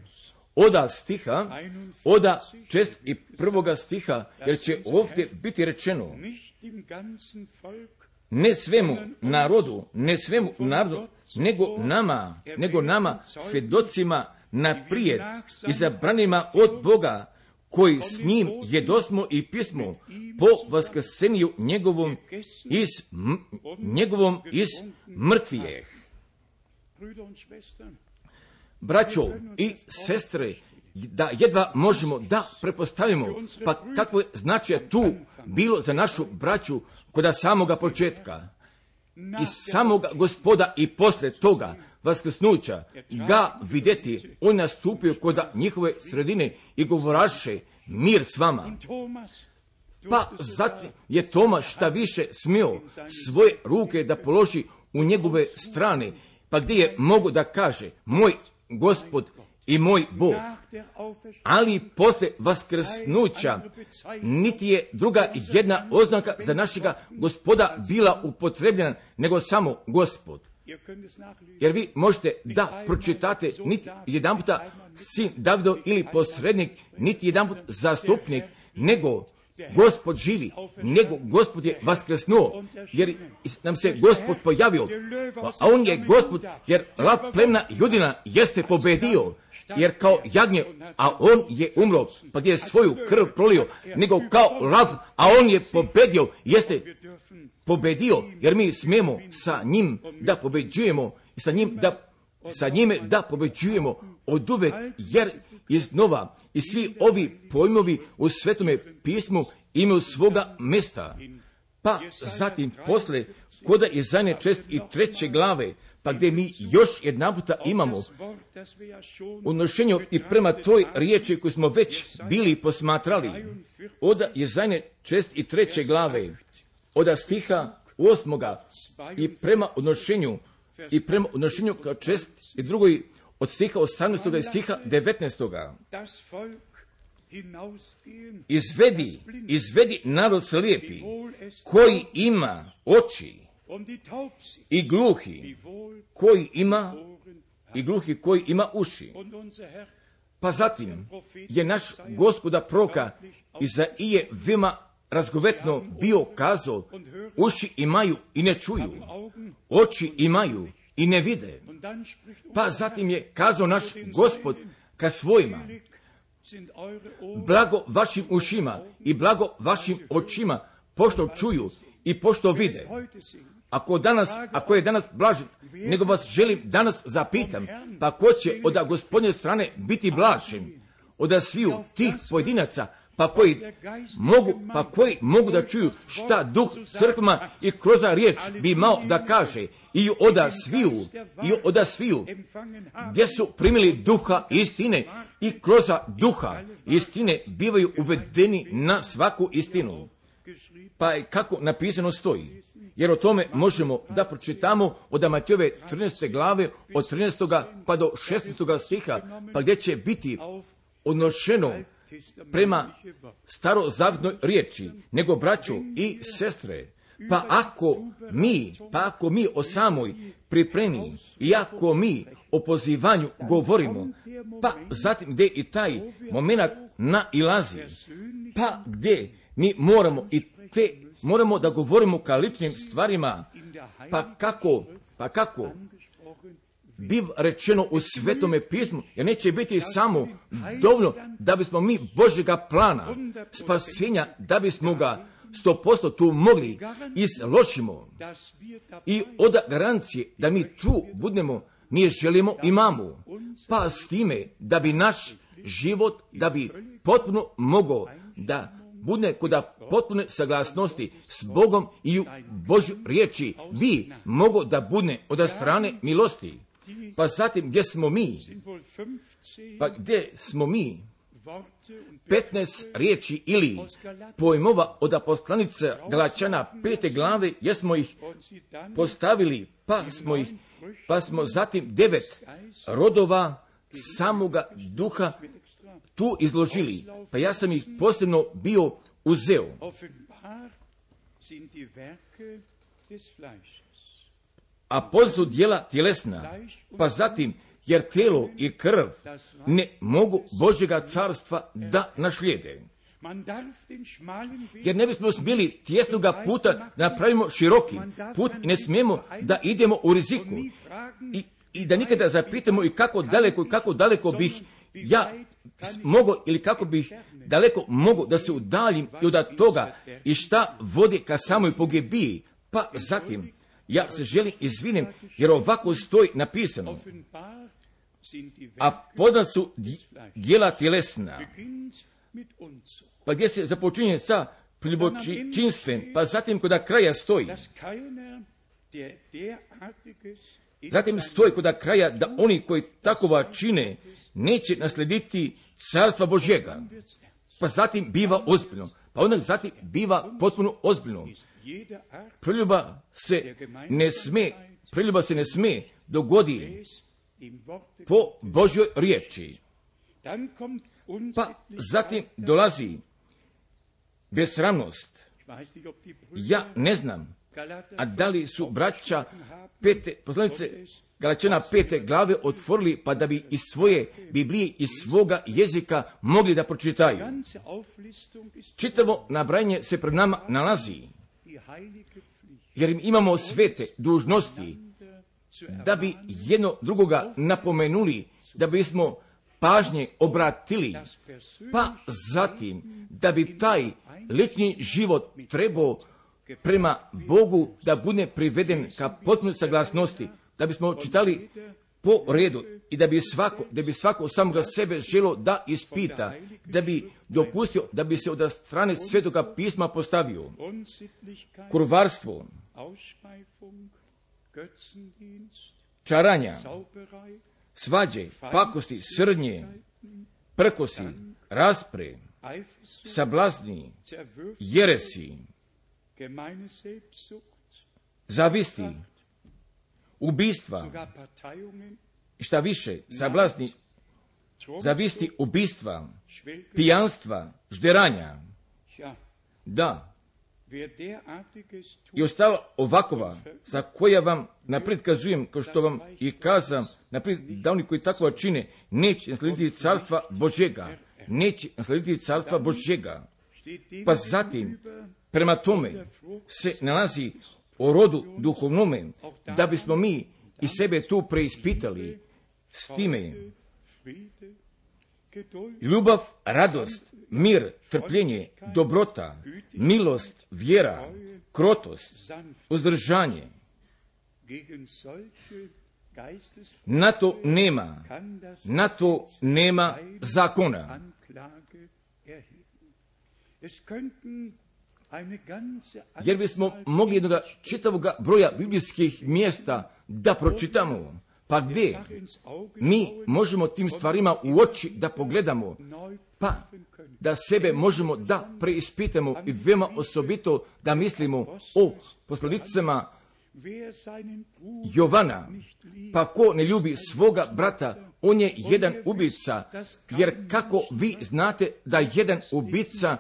S1: oda stiha, oda čest i prvoga stiha, jer će ovdje biti rečeno, ne svemu narodu, ne svemu narodu, nego nama, nego nama, svjedocima naprijed, izabranima od Boga, koji s njim jedosmo i pismo po vaskrsenju njegovom iz, m, njegovom iz mrtvijeh. Braćo i sestre, da jedva možemo da prepostavimo, pa kako je značaj tu bilo za našu braću kod samoga početka i samoga Gospoda i posle toga vaskrsnuća ga vidjeti, on nastupio kod njihove sredine i govoraše mir s vama. Pa zatim je Toma šta više smio svoje ruke da položi u njegove strane, pa gdje je mogo da kaže moj Gospod i moj Bog. Ali posle vaskrsnuća niti je druga jedna oznaka za našega Gospoda bila upotrebljena, nego samo Gospod. Jer vi možete da pročitate niti jedan puta sin Davidov ili posrednik, niti jedan put zastupnik, nego Gospod živi, nego Gospod je vaskrsnuo, jer nam se Gospod pojavio, a on je Gospod, jer lav plemena Judina jeste pobedio, jer kao jagnje, a on je umro, pa gdje je svoju krv prolio, nego kao lav, a on je pobedio, jeste pobedio, jer mi smijemo sa njim da pobeđujemo i sa njim da, sa njime da pobeđujemo od uvek, jer iznova i svi ovi pojmovi u Svetome pismu imaju svoga mjesta. Pa zatim posle koda Izaije čest i treće glave, pa gdje mi još jedna puta imamo odnošenje i prema toj riječi koju smo već bili posmatrali, od Izaije čest i treće glave, od stiha osmoga i prema odnošenju i prema odnošenju kao čest i drugoj od stiha osamnaestoga i stiha devetnaestoga. Izvedi, izvedi narod slijepi, koji ima oči, i gluhi, koji ima, i gluhi koji ima uši. Pa zatim je naš Gospoda proka Izaije veoma razgovetno bio kazao, uši imaju i ne čuju, oči imaju i ne vide. Pa zatim je kazao naš Gospod ka svojima, blago vašim ušima i blago vašim očima, pošto čuju i pošto vide. Ako danas, ako je danas blažen, nego vas želim danas zapitam, pa ko će od Gospodnje strane biti blažen? Od sviju tih pojedinaca, pa koji mogu, pa koji mogu da čuju šta Duh crkvama i kroz riječ bi imao da kaže, i od sviju, i od sviju, gdje su primili duha istine i kroz duha istine bivaju uvedeni na svaku istinu. Pa kako napisano stoji, jer o tome možemo da pročitamo od Matejove trinaeste glave, od trinaestoga pa do šesnaestoga stiha, pa gdje će biti odnošeno prema starozavjetnoj riječi, nego braćo i sestre, pa ako mi, pa ako mi o samoj pripremi i ako mi o pozivanju govorimo, pa zatim gdje i taj moment nailazi, pa gdje mi moramo i te, moramo da govorimo ka ličnim stvarima, pa kako, pa kako biv rečeno u Svetome pismu, jer neće biti samo dovoljno da bismo mi Božjega plana spasenja, da bismo ga sto posto tu mogli izložimo i od garancije da mi tu budemo, mi je želimo, imamo, pa s time da bi naš život, da bi potpuno mogao da bude kod potpune saglasnosti s Bogom i u Božju riječi, bi mogo da bude od strane milosti. Pa zatim gdje smo mi? Pa gdje smo mi? petnaest riječi ili pojmova od poslanice Galačana pete glave, jer smo ih postavili, pa smo ih, pa smo zatim devet rodova samoga duha tu izložili. Pa ja sam ih posebno bio uzeo. A poznata su djela tjelesna, pa zatim, jer tijelo i krv ne mogu Božjega carstva da našlijede. Jer ne bismo smjeli tjesnoga puta da napravimo široki put i ne smijemo da idemo u riziku. I, i da nikada zapitamo i kako daleko i kako daleko bih ja mogo ili kako bih daleko mogo da se udaljim i od toga i šta vodi ka samoj pogibiji. Pa zatim, ja se želim izvinem, jer ovako stoji napisano. A poznata su djela tjelesna. Pa gdje se započinje sa ljubočinstven, pa zatim kod kraja stoji. Zatim stoji kod kraja da oni koji takova čine neće naslediti carstva Božjega. Pa zatim biva ozbiljno. Pa onda zatim biva potpuno ozbiljno. Preljuba se ne sme, preljuba se ne sme dogodi po Božjoj riječi. Pa zatim dolazi besramnost. Ja ne znam, a da li su braća pete, poslanice Galačana pete glave otvorili, pa da bi iz svoje Biblije, iz svoga jezika mogli da pročitaju. Čitavo nabrajanje se pred nama nalazi, jer im imamo svete dužnosti, da bi jedno drugoga napomenuli, da bismo pažnje obratili, pa zatim da bi taj lični život trebao prema Bogu da bude priveden ka potpunoj saglasnosti, da bismo čitali po redu i da bi svako, da bi svako samoga sebe želo da ispita, da bi dopustio, da bi se od strane Svetoga pisma postavio. Kurvarstvo, čaranja, svađe, pakosti, srdnje, prkosi, raspre, sablazni, jeresi, zavisti, ubistva, šta više, sablazni, zavisti, ubistva, pijanstva, žderanja. Da. I ostalo ovakova, za koja vam naprijed kazujem, kao što vam i kazam, naprijed da oni koji takva čine, neće naslediti carstva Božjega. Neće naslediti carstva Božjega. Pa zatim, prema tome se nalazi o rodu duhovnome, da bismo mi i sebe tu preispitali s time. ljubav, radost, mir, trpljenje, dobrota, milost, vjera, krotost, uzdržanje. Na to nema, na to nema zakona. Jer bismo mogli jednoga čitavoga broja biblijskih mjesta da pročitamo, pa gdje mi možemo tim stvarima u oči da pogledamo, pa da sebe možemo da preispitamo i veoma osobito da mislimo o poslanicama Jovana, pa ko ne ljubi svoga brata, on je jedan ubica, jer kako vi znate da jedan ubica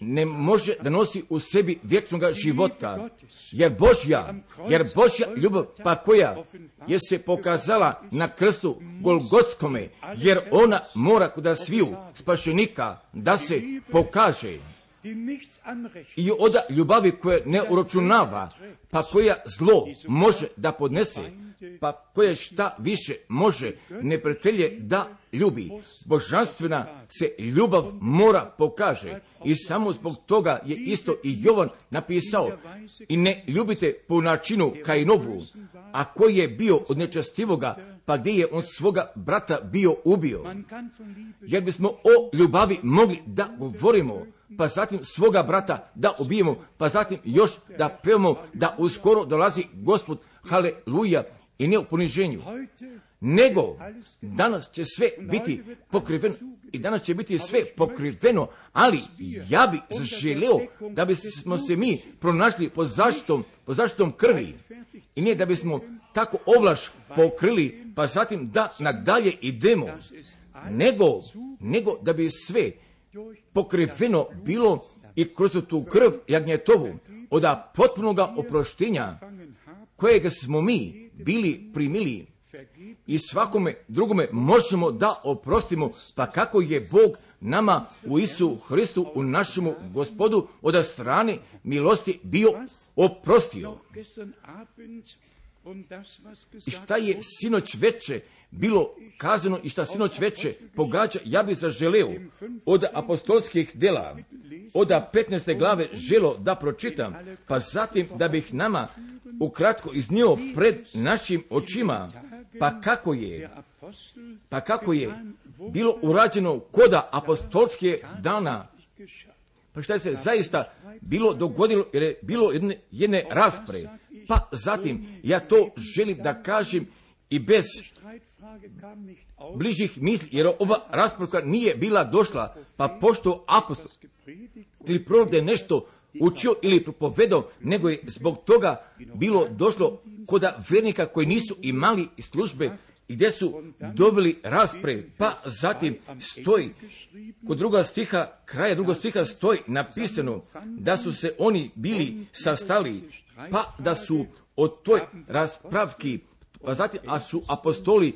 S1: ne može da nosi u sebi vječnoga života, jer Božja, jer Božja ljubav, pa koja je se pokazala na krstu Golgotskome, jer ona mora kod sviju spašenika da se pokaže. I od ljubavi koja ne uračunava, pa koja zlo može da podnese, pa koja šta više može neprijatelje da ljubi. Božanstvena se ljubav mora pokaže i samo zbog toga je isto i Jovan napisao: i ne ljubite po načinu Kainovu, a koji je bio od nečastivoga, pa gdje je on svoga brata bio ubio. Jer bismo o ljubavi mogli da govorimo, pa zatim svoga brata da ubijemo, pa zatim još da pevamo da uskoro dolazi Gospod, haleluja, i ne u poniženju. Nego danas će sve biti pokriveno i danas će biti sve pokriveno, ali ja bi zaželeo da bismo se mi pronašli pod zaštitom, pod zaštitom krvi i ne da bismo tako ovlaš pokrili, pa zatim da nadalje idemo, nego, nego da bi sve pokriveno bilo i kroz tu krv jagnjetovu od potpunoga oproštenja kojega smo mi bili primili i svakome drugome možemo da oprostimo, pa kako je Bog nama u Isu Hristu, u našemu Gospodu, od strane milosti bio oprostio. I šta je sinoć veče bilo kazano i šta sinoć veče pogađa, ja bih zaželeo od apostolskih dela, od petnaeste glave želo da pročitam, pa zatim da bih nama ukratko iznio pred našim očima, pa kako je, pa kako je bilo urađeno koda apostolske dana, pa šta je se zaista bilo dogodilo, jer je bilo jedne, jedne rasprave, pa zatim ja to želim da kažem i bez bližih misli, jer ova rasprava nije bila došla, pa pošto apostol ili prorok da je nešto učio ili propovedao, nego je zbog toga bilo došlo kod vernika koji nisu imali službe i gdje su dobili rasprave, pa zatim stoji kod druga stiha, kraja drugog stiha stoji napisano da su se oni bili sastali, pa da su od toj raspravki, pa zatim a su apostoli,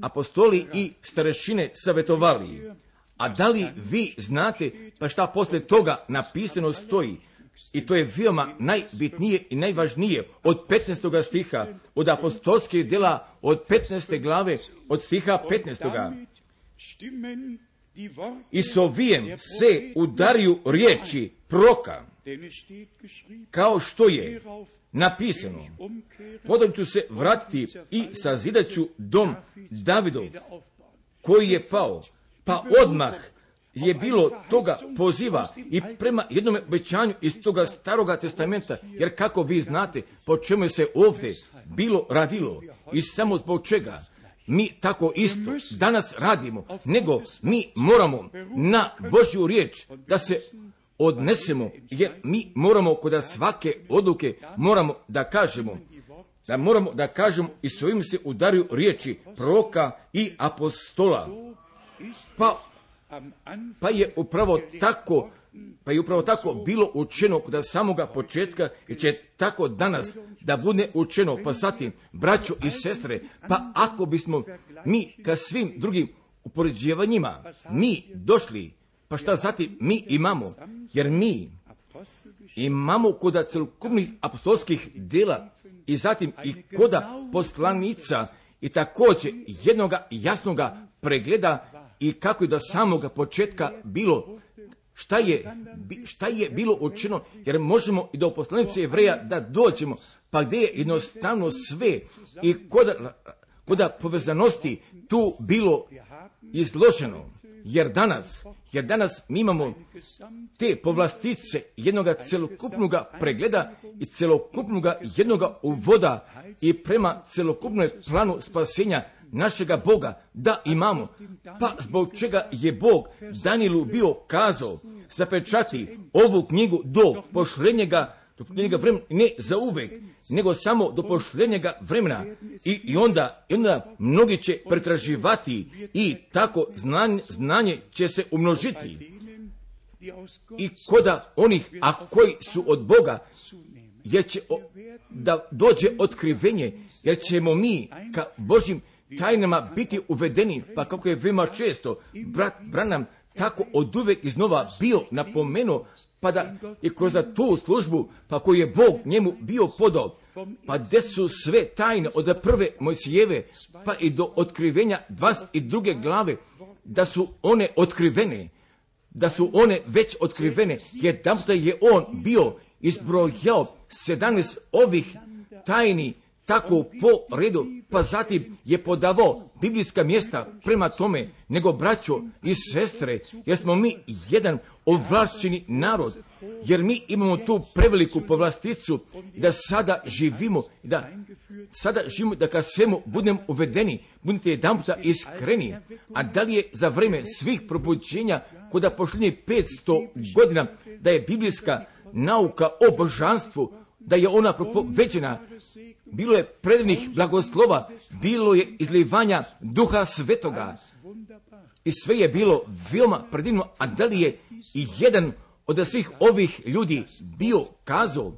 S1: apostoli i starešine savjetovali. A da li vi znate pa šta poslije toga napisano stoji? I to je veoma najbitnije i najvažnije od petnaestog stiha, od apostolskih dela, od petnaeste glave, od stiha petnaestog. I s ovijem se udariju riječi proroka, kao što je napisano: potom ću se vratiti i sazidat ću dom Davidov koji je pao. Pa odmah je bilo toga poziva i prema jednom obećanju iz toga staroga testamenta, jer kako vi znate po čemu je se ovdje bilo radilo i samo zbog čega mi tako isto danas radimo, nego mi moramo na Božju riječ da se odnesemo, jer mi moramo kod svake odluke moramo da kažemo, da moramo da kažemo i s ovim se udaraju riječi proroka i apostola. Pa, pa je upravo tako, pa je upravo tako bilo učeno kod samoga početka i će tako danas da bude učeno, pa zatim, braćo i sestre, pa ako bismo mi ka svim drugim upoređivanjima mi došli, pa šta zatim mi imamo, jer mi imamo kod celokupnih apostolskih dela i zatim i koda poslanica i također jednoga jasnoga pregleda i kako je do samoga početka bilo, šta je, šta je bilo učinjeno, jer možemo i do poslanice Jevreja da dođemo, pa gdje je jednostavno sve i koda, koda povezanosti tu bilo izloženo. Jer danas, jer danas mi imamo te povlastice jednog celokupnog pregleda i celokupnog jednog uvoda i prema celokupnom planu spasenja našega Boga da imamo. Pa zbog čega je Bog Danielu bio kazao zapečati ovu knjigu do pošlenjega, do pošlenjega vremena, ne za uvek, nego samo do pošlenjega vremena. I, i, onda, i onda mnogi će pretraživati i tako znanje, znanje će se umnožiti. I koda onih, a koji su od Boga, jer će o, da dođe otkrivenje, jer ćemo mi ka Božjim tajnama biti uvedeni, pa kako je veoma često brat Branham tako od uvek iznova bio napomenuo, pa da i kroz tu službu, pa koju je Bog njemu bio podao, pa gdje su sve tajne od prve Mojsijeve, pa i do otkrivenja dvadeset druge glave, da su one otkrivene, da su one već otkrivene, jer tamo je on bio izbrojao sedamnaest ovih tajni, tako po redu, pa zatim je podavao biblijska mjesta prema tome, nego braćo i sestre, jer smo mi jedan ovlašćeni narod, jer mi imamo tu preveliku povlasticu da sada živimo, da sada živimo, da kad svemu budemo uvedeni, budete jedan puta iskreni, a da li je za vrijeme svih probuđenja, koda pošljenje petsto godina, da je biblijska nauka o božanstvu, da je ona propoveđena, bilo je predivnih blagoslova, bilo je izlivanja Duha Svetoga i sve je bilo veoma predivno, a da li je i jedan od svih ovih ljudi bio kazao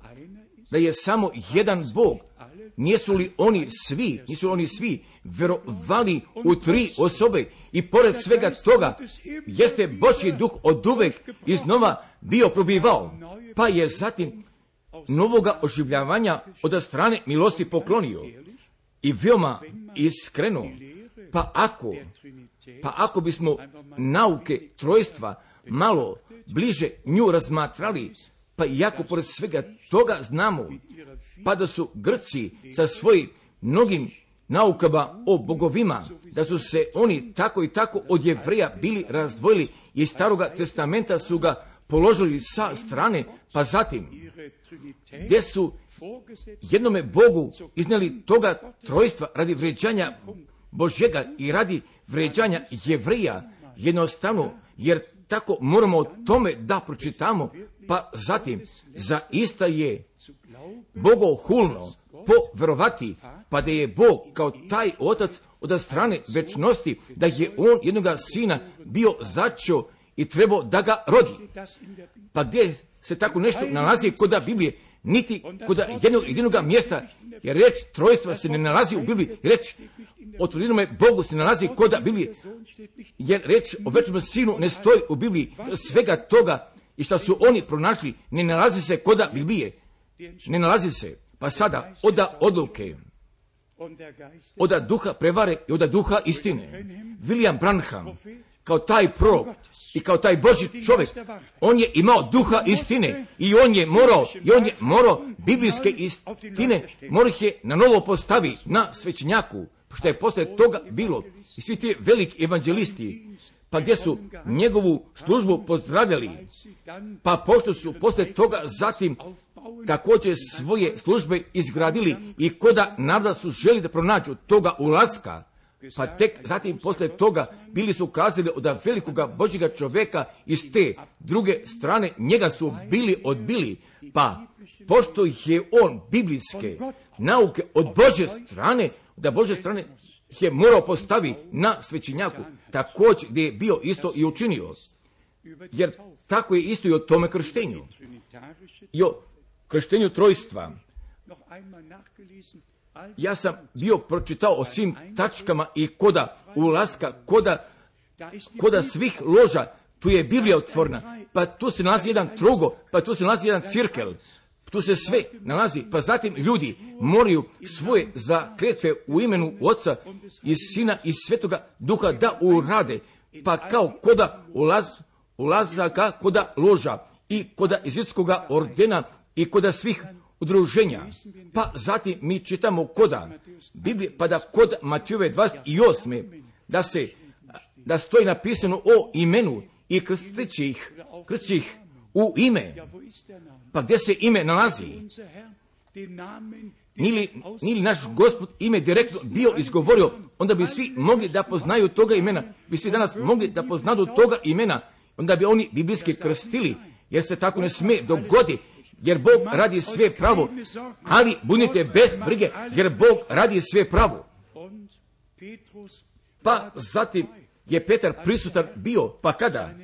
S1: da je samo jedan Bog? Nisu li oni svi, nisu li oni svi verovali u tri osobe i pored svega toga jeste Božji duh od uvek iznova bio probivao, pa je zatim novoga oživljavanja od strane milosti poklonio i veoma iskreno. Pa ako, pa ako bismo nauke trojstva malo bliže nju razmatrali, pa iako pored svega toga znamo, pa da su Grci sa svojim mnogim naukama o bogovima, da su se oni tako i tako od Jevreja bili razdvojili i iz Staroga testamenta su ga položili sa strane, pa zatim gdje su jednome Bogu iznijeli toga trojstva radi vređanja Božjega i radi vređanja Jevreja, jednostavno, jer tako moramo o tome da pročitamo, pa zatim zaista je bogohulno poverovati, pa da je Bog kao taj otac od strane večnosti, da je on jednoga sina bio začeo i trebao da ga rodi. Pa gdje se tako nešto nalazi kod Biblije, niti kod jednog jedinog mjesta, jer reč trojstva se ne nalazi u Bibliji, reč o trinome Bogu se nalazi kod Biblije, jer reč o večnom sinu ne stoji u Bibliji. Svega toga i što su oni pronašli ne nalazi se kod Biblije, ne nalazi se. Pa sada oda odluke, oda duha prevare i oda duha istine. William Branham kao taj prorok i kao taj Božji čovjek, on je imao duha istine i on je morao, i on je morao biblijske istine, morao ih je na novo postavi na svećenjaku, što je posle toga bilo. I svi ti veliki evanđelisti, pa gdje su njegovu službu pozdravljali, pa pošto su posle toga zatim također svoje službe izgradili i koda naroda su želi da pronađu toga ulaska, pa tek zatim posle toga bili su kazali od velikoga Božjega čovjeka iz te druge strane, njega su bili odbili, pa pošto je on biblijske nauke od Božje strane, da Božje strane je morao postavi na svećenjaku, također gdje je bio isto i učinio, jer tako je isto i o tome krštenju, i o krštenju trojstva. Ja sam bio pročitao o svim tačkama i koda ulaska, koda, koda svih loža, tu je Biblija otvorena, pa tu se nalazi jedan trugo, pa tu se nalazi jedan cirkel, tu se sve nalazi, pa zatim ljudi moraju svoje zakletve u imenu Oca i Sina i Svetoga Duha da urade, pa kao koda ulaz, ulazaka koda loža i koda izvjetskoga ordena i koda svih udruženja. Pa zatim mi čitamo koda Biblije, pa da kod Matijove dvadeset osme da se da stoji napisano o imenu i krstit će ih, krstit će ih u ime. Pa gdje se ime nalazi? Nili, nili naš Gospod ime direktno bio izgovorio, onda bi svi mogli da poznaju toga imena, bi svi danas mogli da poznadu toga imena, onda bi oni biblijski krstili, jer se tako ne smije dogodi, jer Bog radi sve pravo, ali budite bez brige, jer Bog radi sve pravo. Pa zatim je Petar prisutan bio, pa kada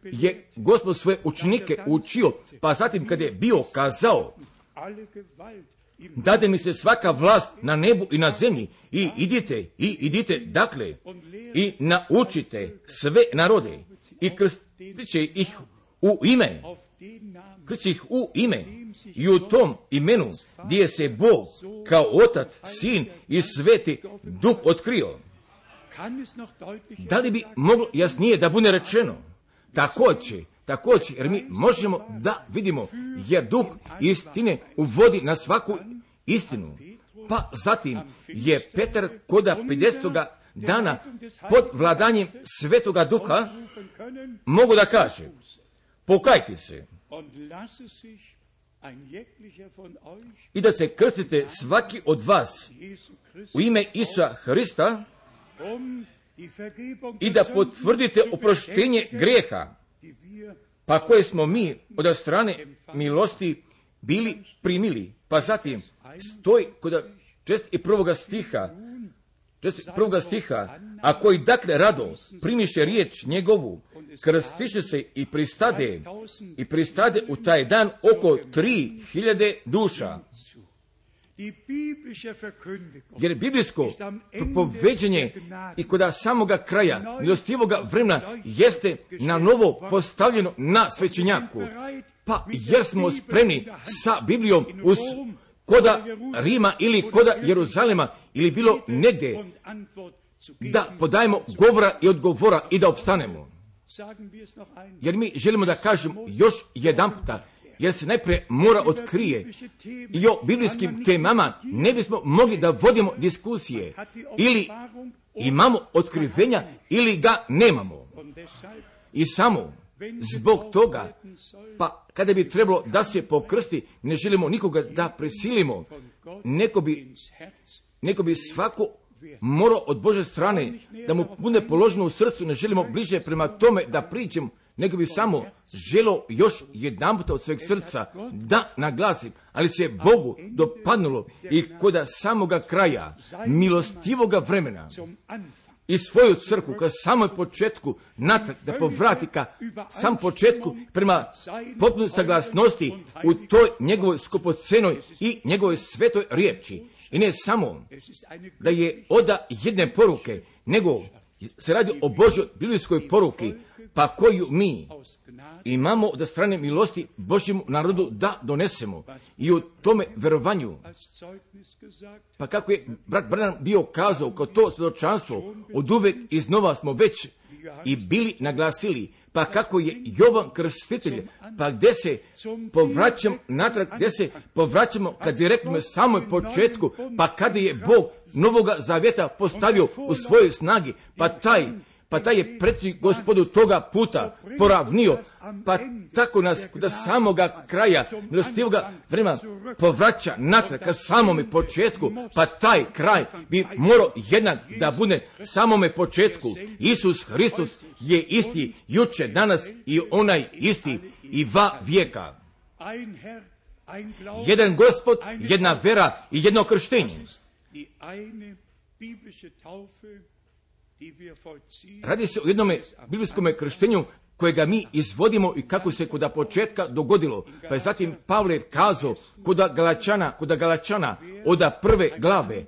S1: je Gospod svoje učenike učio, pa zatim kad je bio kazao, dade mi se svaka vlast na nebu i na zemlji i idite, i idite dakle, i naučite sve narode i krstit će ih u ime, krstit će ih u ime i u tom imenu gdje se Bog kao Otac, Sin i Sveti Duh otkrio. Da li bi moglo jasnije da bude rečeno? Također, također, jer mi možemo da vidimo, jer Duh istine uvodi na svaku istinu. Pa zatim je Petar koda pedesetoga dana pod vladanjem Svetoga Duha mogu da kaže, pokajte se i da se krstite svaki od vas u ime Isusa Hrista i da potvrdite oproštenje grijeha, pa koje smo mi od strane milosti bili primili. Pa zatim stoji kod čest i prvoga stiha, čest i prvoga stiha, a koji dakle rado primiše riječ njegovu, krstiše se i pristade, i pristade u taj dan oko tri hiljade duša. Jer biblijsko propoveđenje i kod samoga kraja milostivoga vremena jeste na novo postavljeno na svećenjaku. Pa jer smo spremni sa Biblijom uz koda Rima ili koda Jeruzalema ili bilo negdje da podajemo govora i odgovora i da opstanemo. Jer mi želimo da kažemo još jedan puta, jer se najprije mora otkrije i o biblijskim temama ne bismo mogli da vodimo diskusije. Ili imamo otkrivenja ili ga nemamo. I samo zbog toga, pa kada bi trebalo da se pokrsti, ne želimo nikoga da prisilimo. Neko bi, neko bi svako morao od Bože strane da mu bude položeno u srcu, ne želimo bliže prema tome da priđemo, nego bi samo želo još jedan puta od sveg srca da naglasim, ali se Bogu dopadnulo i kod samoga kraja milostivoga vremena i svoju crkvu ka samoj početku natrag da povrati ka sam početku prema potpunoj saglasnosti u toj njegovoj skupocenoj i njegovoj svetoj riječi. I ne samo da je oda jedne poruke, nego se radi o Božjoj biblijskoj poruki, pa koju mi imamo od strane milosti Božjemu narodu da donesemo i u tome verovanju. Pa kako je brat Branham bio kazao, kao to svjedočanstvo, od uvek iznova smo već i bili naglasili, pa kako je Jovan Krstitelj, pa gdje se povraćam natrag, gdje se povraćamo kad direktno samoj početku, pa kada je Bog Novoga Zavjeta postavio u svojoj snagi, pa taj Pa taj je predsjednik Gospodu toga puta poravnio, pa tako nas kod samoga kraja milostivoga vremena povraća natrag ka samome početku, pa taj kraj bi morao jednak da bude samome početku. Isus Hristos je isti juče, danas i onaj isti i va vijeka. Jedan Gospod, jedna vera i jedno krštenje. Radi se o jednome biblijskom krštenju kojega mi izvodimo i kako se kod početka dogodilo. Pa je zatim Pavle kazao kod Galačana, kod Galačana od prve glave,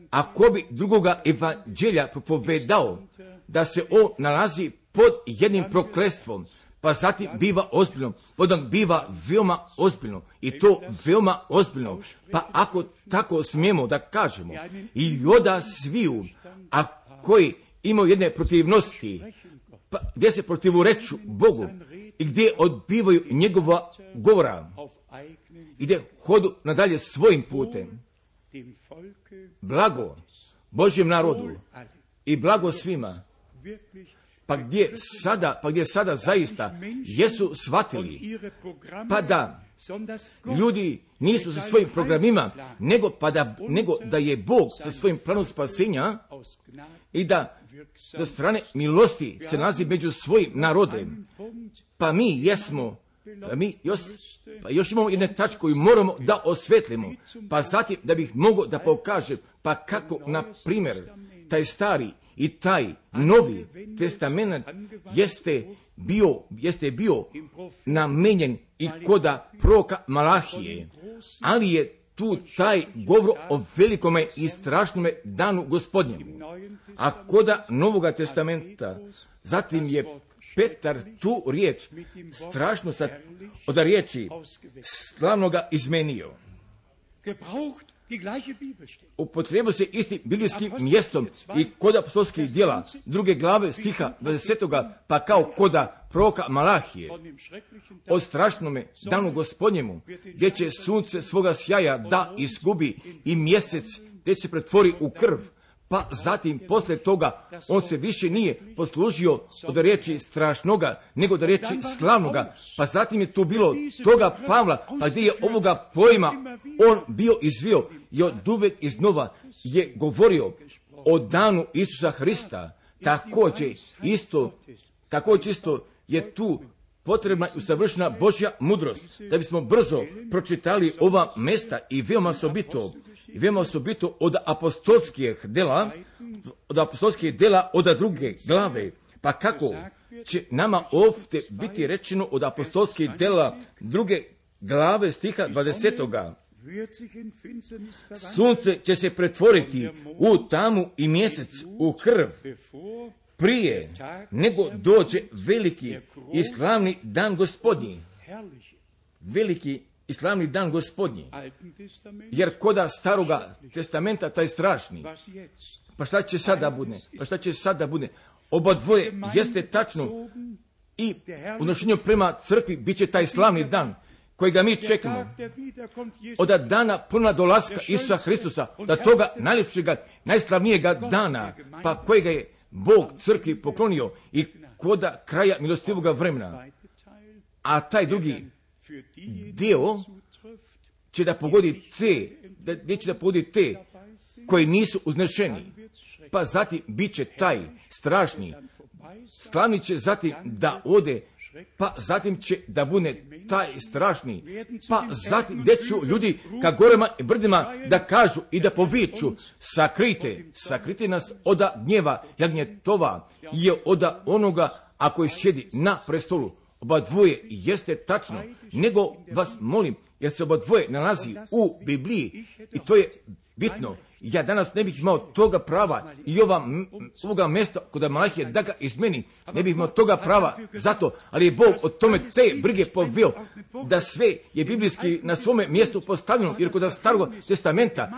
S1: a ko bi drugoga evanđelja propovedao da se on nalazi pod jednim proklestvom, pa zatim biva ozbiljno, potom biva veoma ozbiljno i to veoma ozbiljno. Pa ako tako smijemo da kažemo i oda sviju, a koji imaju jedne protivnosti, pa, gdje se protivureču Bogu i gdje odbivaju njegova govora i gdje hodu nadalje svojim putem. Blago Božjem narodu i blago svima. Pa gdje sada, pa gdje sada zaista jesu shvatili, pa da ljudi nisu sa svojim programima, nego, pa da, nego da je Bog sa svojim planom spasenja i da do strane milosti se nalazi među svojim narodem. Pa mi jesmo, pa mi još, pa još imamo jedne tačke koju moramo da osvetlimo, pa zatim da bih mogao da pokažem, pa kako, na primjer, taj stari i taj novi testament jeste bio, jeste bio namenjen i koda proroka Malahije, ali je tu taj govor o velikome i strašnome danu Gospodnjemu. A koda Novoga testamenta, zatim je Petar tu riječ strašno sa, od riječi slavnoga izmenio. Upotrijebio se isti biblijskim mjestom i kod apostolskih djela druge glave stiha dvadesetoga pa kao koda proroka Malahije o strašnome danu Gospodnjemu, gdje će sunce svoga sjaja da izgubi i mjesec gdje se pretvori u krv. Pa zatim, poslije toga, on se više nije poslužio od riječi strašnoga, nego od riječi slavnoga. Pa zatim je tu bilo toga Pavla, pa gdje je ovoga pojma on bio izvio i od uvek iznova je govorio o danu Isusa Hrista. Također isto, također isto je tu potrebna i usavršena Božja mudrost, da bismo brzo pročitali ova mesta i veoma osobito, i veoma osobito od apostolskih dela, od apostolskih dela od druge glave. Pa kako će nama ovdje biti rečeno od apostolskih dela druge glave stiha dvadesetoga. Sunce će se pretvoriti u tamu i mjesec u krv prije nego dođe veliki i slavni dan Gospodnji. Veliki i slavni dan Gospodnji. Jer koda staroga testamenta taj strašni. Pa šta će sada bude? Pa šta će sada bude? Oba dvoje jeste tačno i u nošenju prema crkvi bit će taj slavni dan kojega mi čekamo. Od dana puna dolaska Isusa Hristusa, da toga najljepšega, najslavnijega dana, pa kojega je Bog crkvi poklonio i koda kraja milostivoga vremena. A taj drugi dio će da pogodi te, da, gdje će da pogodi te koji nisu uznešeni. Pa zatim bit će taj strašni, slavni će zatim da ode, pa zatim će da bude taj strašni, pa zatim gdje ću ljudi ka gorama i brdima da kažu i da poviču, sakrite, sakrite nas oda gnjeva jagnjetova i oda onoga a koji sjedi na prestolu. Oba dvoje jeste tačno, nego vas molim, jer se oba dvoje nalazi u Bibliji i to je bitno. Ja danas ne bih imao toga prava i ova, ovoga mjesta kod Malahije da ga izmeni, ne bih imao toga prava zato, ali je Bog od tome te brige poveo da sve je biblijski na svome mjestu postavljeno, jer kod starog testamenta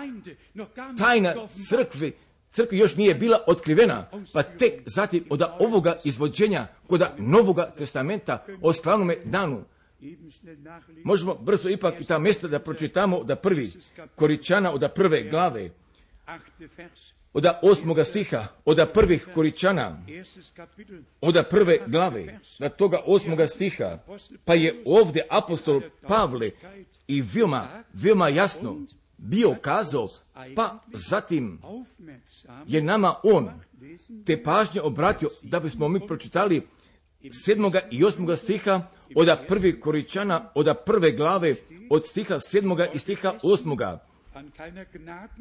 S1: tajna crkve, crkvi još nije bila otkrivena, pa tek zatim od ovoga izvođenja kod Novoga testamenta o slavnome danu. Možemo brzo ipak i ta mjesta da pročitamo da prvi Koričana od prve glave, od osmoga stiha, od prvih Koričana, od prve glave, da toga osmoga stiha, pa je ovdje apostol Pavle i veoma, veoma jasno bio kazao, pa zatim je nama on te pažnje obratio da bismo mi pročitali sedmoga i osmoga stiha od prvih Koričana, od prve glave, od stiha sedmoga i stiha osmoga.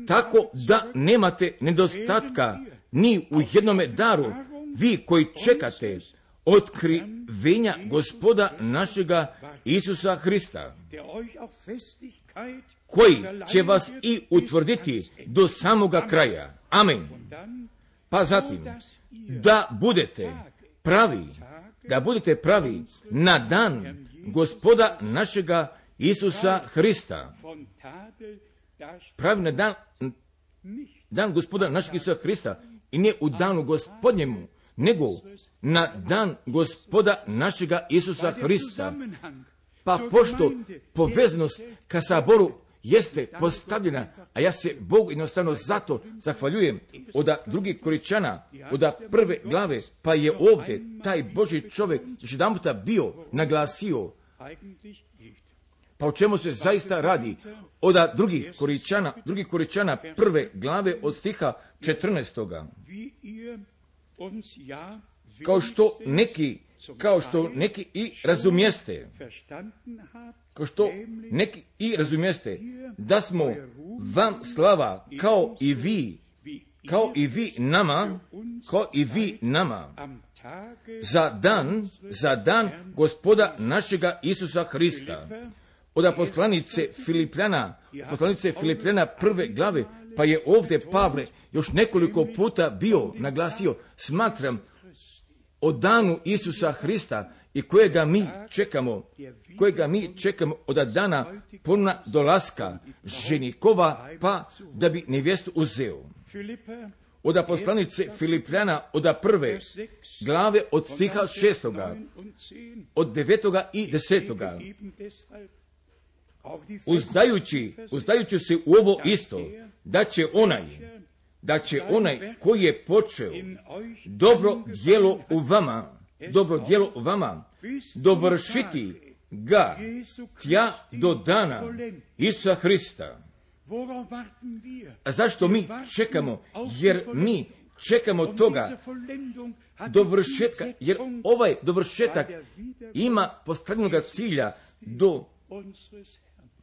S1: Tako da nemate nedostatka ni u jednome daru, vi koji čekate otkrivenja Gospoda našega Isusa Hrista, koji će vas i utvrditi do samoga kraja. Amen. Pa zatim, da budete pravi, da budete pravi na dan Gospoda našega Isusa Hrista. Pravi na dan, dan Gospoda našeg Isusa Hrista i ne u danu Gospodnjemu, nego na dan Gospoda našega Isusa Hrista. Pa pošto povezanost ka saboru jeste postavljena, a ja se Bogu jednostavno zato zahvaljujem od drugih Koričana, od prve glave, pa je ovdje taj Božji čovjek još jedan puta bio naglasio. Pa o čemu se zaista radi? Od drugih Koričana, drugih Koričana prve glave od stiha četrnaestoga. Kao što neki, kao što neki i razumijeste, kao što neki i razumijeste, da smo vam slava kao i vi, kao i vi nama, kao i vi nama, za dan, za dan Gospoda našega Isusa Hrista. Od poslanice Filipljana, poslanice Filipljana prve glave, pa je ovdje Pavle još nekoliko puta bio naglasio, smatram o danu Isusa Hrista i kojega mi čekamo, kojega mi čekamo od dana ponovna dolaska ženikova, pa da bi nevjestu uzeo. Od poslanice Filipljana od prve glave od stiha šestoga, od devetoga i desetoga. Uzdajući, uzdajući se u ovo isto, da će onaj, da će onaj koji je počeo dobro djelo u vama, dobro djelo u vama, dovršiti ga tja do dana Isusa Hrista. A zašto mi čekamo? Jer mi čekamo toga dovršetka, jer ovaj dovršetak ima postavljenoga cilja do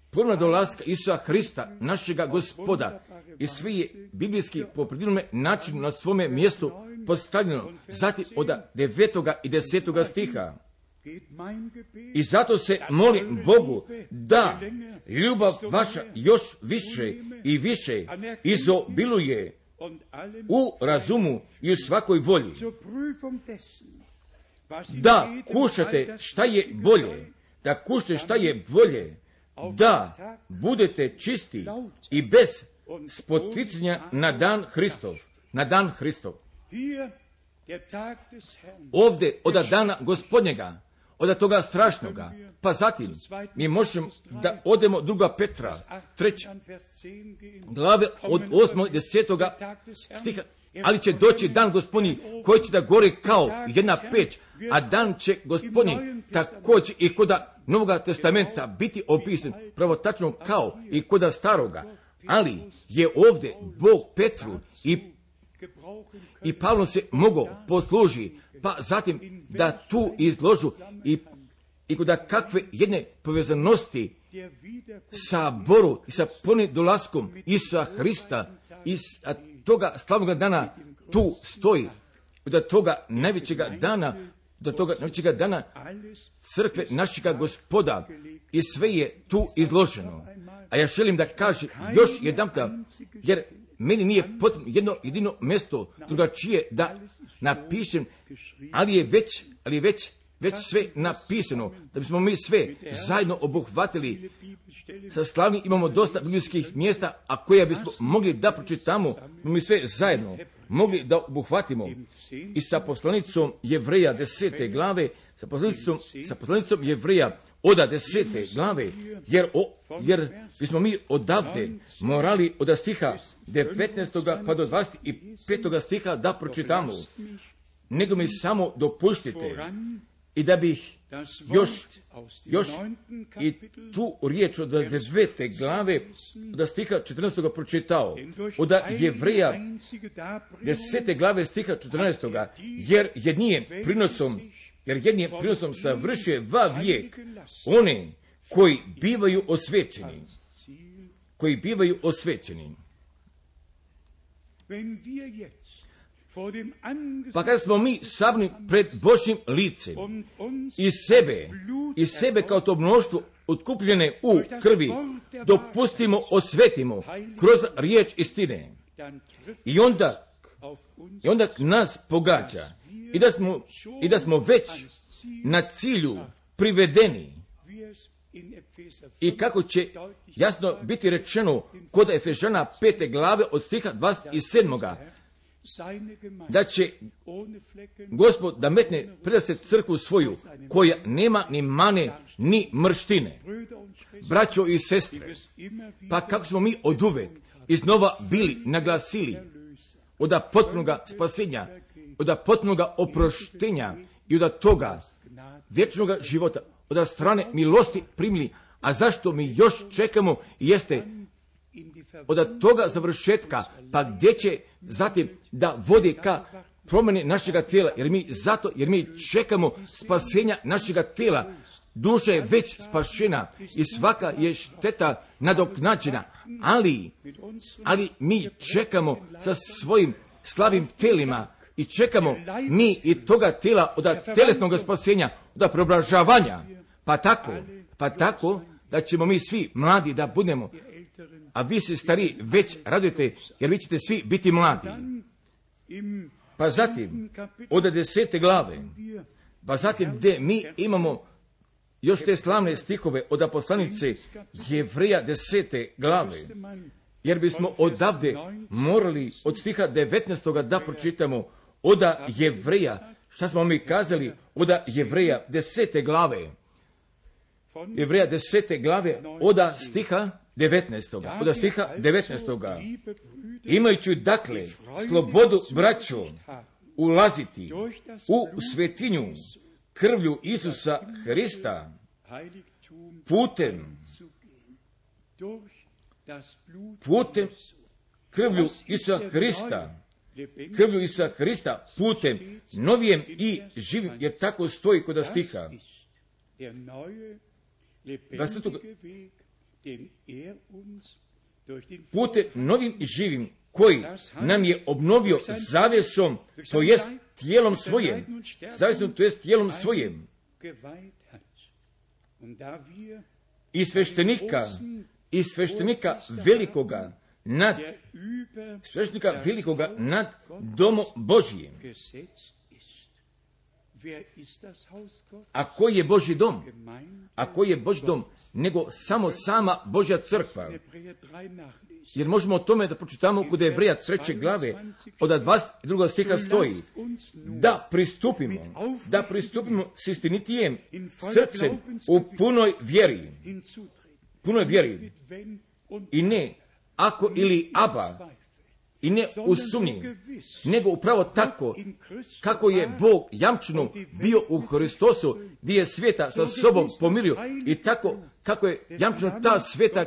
S1: ponovna dolaska Isusa Hrista, našega Gospoda, i svi je biblijski po predivnome načinu na svome mjestu postavljeno. Zatim od devetoga i desetoga stiha. I zato se molim Bogu da ljubav vaša još više i više izobiluje u razumu i u svakoj volji. Da kušate šta je bolje, da kušate šta je bolje, da budete čisti i bez spoticanja na dan Hristov, na dan Hristov. Ovdje od dana Gospodnjega, od toga strašnoga, pa zatim mi možemo da odemo druga Petra, treća glave od osmog i desetoga stiha, ali će doći dan Gospodnji koji će da gori kao jedna peć, a dan će Gospodnji također i koda Novoga testamenta biti opisan pravo tačno kao i koda staroga, ali je ovdje Bog Petru i, i Pavlom se mogao posluži, pa zatim da tu izložu i, i koda kakve jedne povezanosti sa Boru i sa ponovnim dolaskom Isusa Hrista i toga slavnog dana tu stoji, do toga najvećega dana, do toga najvećega dana crkve našega Gospoda, i sve je tu izloženo. A ja želim da kažem još jedanputa, jer meni nije potrebno jedno jedino mjesto drugačije da napišem, ali je već, ali je već, već sve napisano, da bismo mi sve zajedno obuhvatili. Sa slavni imamo dosta biblijskih mjesta, a koja bismo mogli da pročitamo, mi sve zajedno mogli da obuhvatimo. I sa poslanicom Jevreja desete glave, sa poslanicom, sa poslanicom Jevreja oda desete glave, jer, o, jer bismo mi odavde morali od stiha devetnaestoga pa do dvadeset petoga stiha da pročitamo. Nego mi samo dopuštite i da bih još, još i tu riječ od devete glave od stiha četrnaestoga pročitao, od Jevreja desete glave stiha četrnaestoga, jer jednim prinosom, jer jednim prinosom savršuje va vijek one koji bivaju osvećeni, koji bivaju osvećeni. Pa kada smo mi sabni pred Božjim licem i sebe, i sebe kao to mnoštvo otkupljene u krvi dopustimo, osvetimo kroz riječ istine, i onda, i onda nas pogađa i da smo, i da smo već na cilju privedeni, i kako će jasno biti rečeno kod Efežana pete glave od stiha dvadeset sedmoga, da će Gospod da metne pred se crkvu svoju, koja nema ni mane, ni mrštine. Braćo i sestre, pa kako smo mi oduvek iznova bili naglasili od potpunoga spasenja, od potpunoga oproštenja i od toga vječnog života, od strane milosti primili, a zašto mi još čekamo jeste od toga završetka, pa gdje će zatim da vodi ka promjeni našega tijela, jer mi zato, jer mi čekamo spasenja našega tijela. Duša je već spašena i svaka je šteta nadoknađena, ali, ali mi čekamo sa svojim slavim telima i čekamo mi i toga tijela od telesnog spasenja, od preobražavanja, pa tako, pa tako da ćemo mi svi mladi da budemo, a vi se stariji već radujete, jer vi ćete svi biti mladi. Pa zatim, od desete glave, pa zatim gdje mi imamo još te slavne stihove od poslanice Jevreja desete glave, jer bismo odavde morali od stiha devetnaestoga da pročitamo od Jevreja, šta smo mi kazali od Jevreja desete glave, Jevreja desete glave od stiha devetnaestoga, od stiha devetnaestoga. Imajući dakle slobodu, braćo, ulaziti u svetinju krvlju Isusa Hrista, putem, putem krvlju Isusa Hrista, krvlju Isusa Hrista, putem novijem i živim, jer tako stoji kod stiha. Putem novim i živim, koji nam je obnovio zavesom, to jest tijelom svojim, zavesom, to jest tijelom svojim, i sveštenika, i sveštenika velikoga nad, sveštenika velikoga nad domom Božijim. A koji je Božji dom? A koji je Božji dom? Nego samo sama Božja crkva. Jer možemo o tome da pročitamo kod Jevreja treće glave, od dvadeset drugog stiha stoji, da pristupimo, da pristupimo s istinitijem srcem u punoj vjeri, punoj vjeri, i ne ako ili aba, i ne u sumnji, nego upravo tako kako je Bog jamčeno bio u Hristosu, gdje je svijeta sa sobom pomirio, i tako kako je jamčeno ta sveta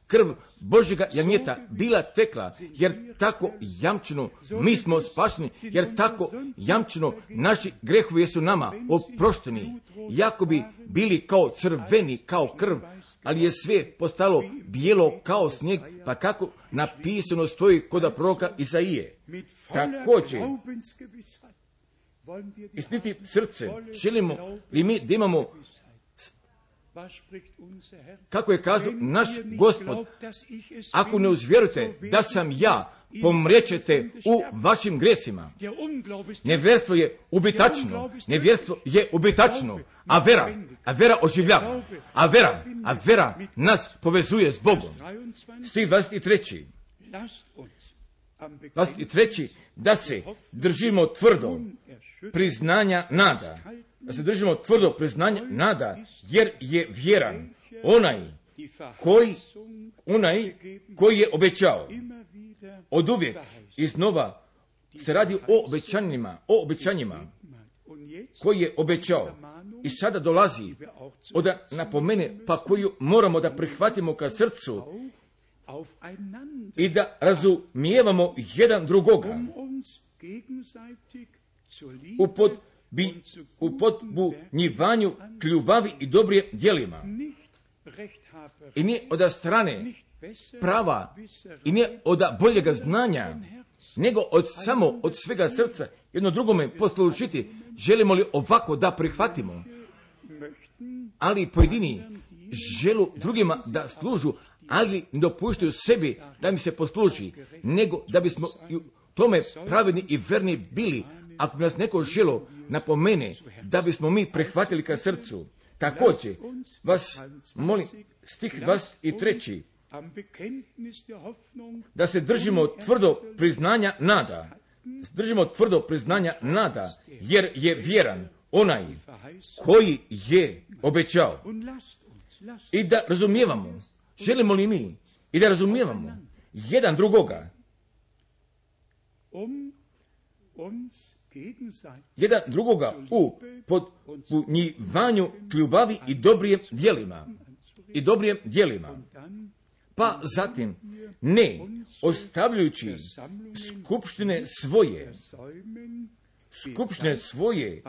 S1: krv Božjega janjeta bila tekla, jer tako jamčeno mi smo spašeni, jer tako jamčeno naši grehovi su nama oprošteni, jako bi bili kao crveni, kao krv, ali je sve postalo bijelo kao snijeg, pa kako napisano stoji kod proroka Isaije. Također, istiniti srce, želimo li mi da imamo, kako je kazao naš Gospod, ako ne uzvjerujete da sam ja, pomrijećete u vašim gresima. Nevjerstvo je ubitačno, nevjerstvo je ubitačno, a vera, a vera oživljava, a vera, a vera nas povezuje s Bogom. Stih dvadeset tri. dvadeset tri. Da se držimo tvrdo priznanja nada, da se držimo tvrdo priznanja nada, jer je vjeran onaj koji, onaj koji je obećao. Od uvijek iznova se radi o obećanjima, o obećanjima koji je obećao. I sada dolazi od napomene, pa koju moramo da prihvatimo ka srcu i da razumijevamo jedan drugoga u pod bi u podbunjivanju k ljubavi i dobrim djelima. I nije od strane prava i nije od boljega znanja, nego od samo od svega srca jedno drugome poslužiti. Želimo li ovako da prihvatimo? Ali pojedini želu drugima da služu, ali ne dopuštaju sebi da mi se posluži, nego da bismo u tome pravedni i verni bili. Ako bi nas neko želo napomene da bismo mi prihvatili ka srcu. Također vas molim, stih dvadeset tri. Da se držimo tvrdo priznanja nada, držimo tvrdo priznanja nada, jer je vjeran onaj koji je obećao. I da razumijevamo, želimo li mi i da razumijevamo jedan drugoga, jedan drugoga u podpunjivanju ljubavi i dobrijem djelima i dobrijem djelima. Pa zatim, ne ostavljajući skupštine svoje, skupštine svoje,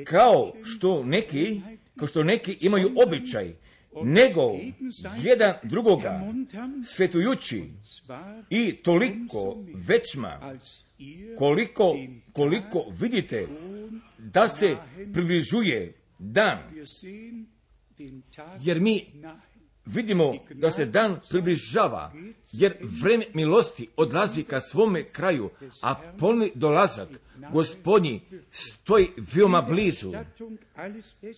S1: kao što neki, kao što neki imaju običaj, nego jedan drugoga svetujući i toliko većma, koliko, koliko vidite da se približuje dan, jer mi vidimo da se dan približava, jer vrijeme milosti odlazi ka svome kraju, a polni dolazak Gospodnji stoji veoma blizu.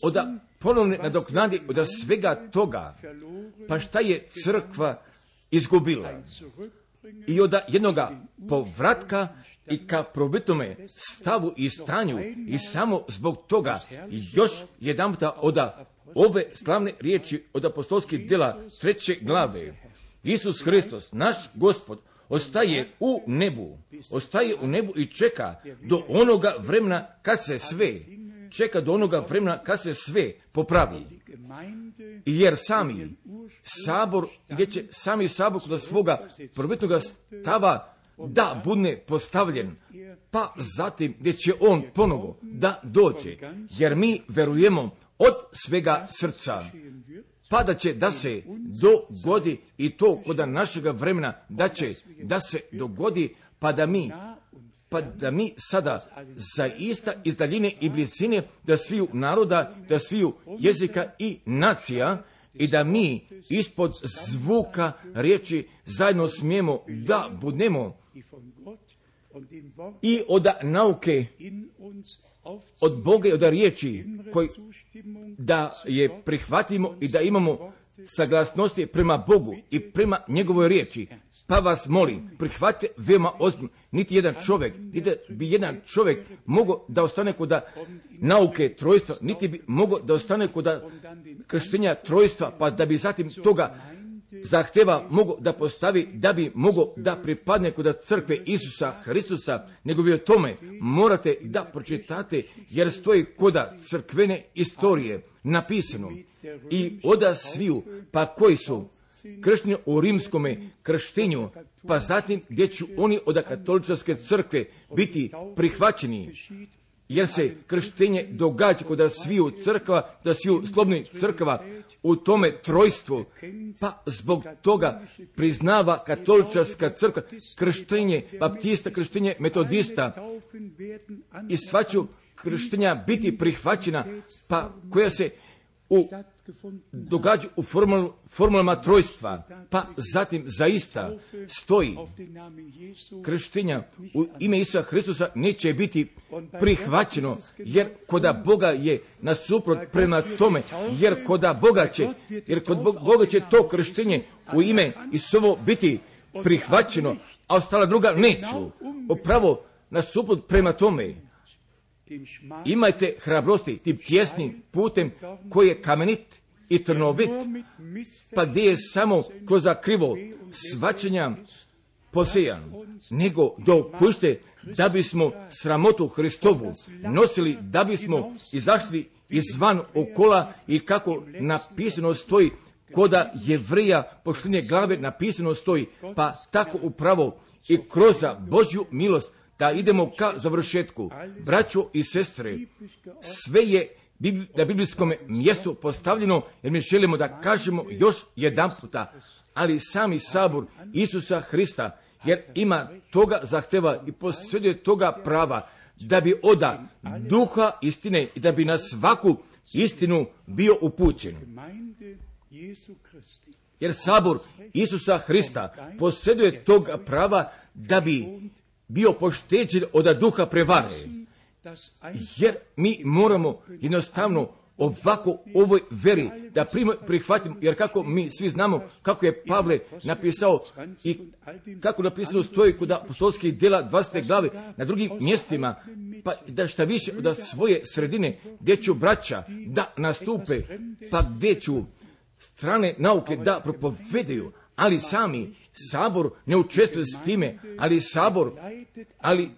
S1: Oda ponovne nadoknadi od svega toga, pa šta je crkva izgubila? I od jednoga povratka i ka probitome stavu i stanju, i samo zbog toga još jedanputa od ove slavne riječi od apostolskih djela treće glave. Isus Hristos, naš Gospod, ostaje u nebu, ostaje u nebu i čeka do onoga vremena kad se sve, čeka do onoga vremena kad se sve popravi. Jer sami sabor, gdje će sami sabor kod svoga prvobitnoga stava da bude postavljen, pa zatim gdje će on ponovo da dođe, jer mi verujemo od svega srca, pa da će da se dogodi i to kod našega vremena, da će da se dogodi, pa da mi pa da mi sada zaista iz daljine i blizine, da sviju naroda, da sviju jezika i nacija, i da mi ispod zvuka riječi zajedno smijemo da budemo i od nauke, od Boga i od riječi koji da je prihvatimo i da imamo saglasnosti prema Bogu i prema njegovoj riječi. Pa vas molim, prihvatite veoma ozbiljno. Niti jedan čovjek, niti bi jedan čovjek mogao da ostane kod nauke trojstva, niti bi mogao da ostane kod krštenja trojstva, pa da bi zatim toga zahteva mogo da postavi, da bi mogo da pripadne kod crkve Isusa Hristusa, nego vi o tome morate da pročitate, jer stoji kod crkvene istorije napisano i oda sviju, pa koji su kršteni u rimskome krštenju, pa zatim gdje će oni od katoličke crkve biti prihvaćeni, jer se krštenje događa kod sviju crkva, da sviju slobodnih crkva u tome trojstvu, pa zbog toga priznava katolička crkva krštenje baptista, krštenje metodista i sva će krštenja biti prihvaćena, pa koja se u događa u formul, formulama trojstva, pa zatim zaista stoji krštenja u ime Isusa Hristusa neće biti prihvaćeno, jer koda Boga je nasuprot prema tome, jer koda Boga će, jer kod Boga će to krštenje u ime Isusovo biti prihvaćeno, a ostala druga neću. Upravo nasuprot prema tome, imajte hrabrosti tim tjesnim putem koji je kamenit i trnovit, pa gdje je samo kroz krivo svačenja posejan, nego dopušte da bismo sramotu Hristovu nosili, da bismo izašli izvan okola i kako napisano stoji, koda Jevrija pošlinje glave napisano stoji, pa tako upravo i kroz Božju milost da idemo ka završetku. Braćo i sestre, sve je na biblijskom mjestu postavljeno, jer mi želimo da kažemo još jedan puta, ali sami sabor Isusa Hrista, jer ima toga zahteva i posjeduje toga prava, da bi oda duha istine i da bi na svaku istinu bio upućen. Jer sabor Isusa Hrista posjeduje toga prava da bi bio pošteđen od duha prevare. Jer mi moramo jednostavno ovako ovoj veri, da prihvatimo, jer kako mi svi znamo kako je Pavle napisao i kako napisano stoji kod apostolskih djela dvadesete glave na drugim mjestima, pa da šta više od svoje sredine gdje ću braća da nastupe, pa gdje ću strane nauke da propovedaju, ali sami sabor ne učestvuje s time, ali sabor, ali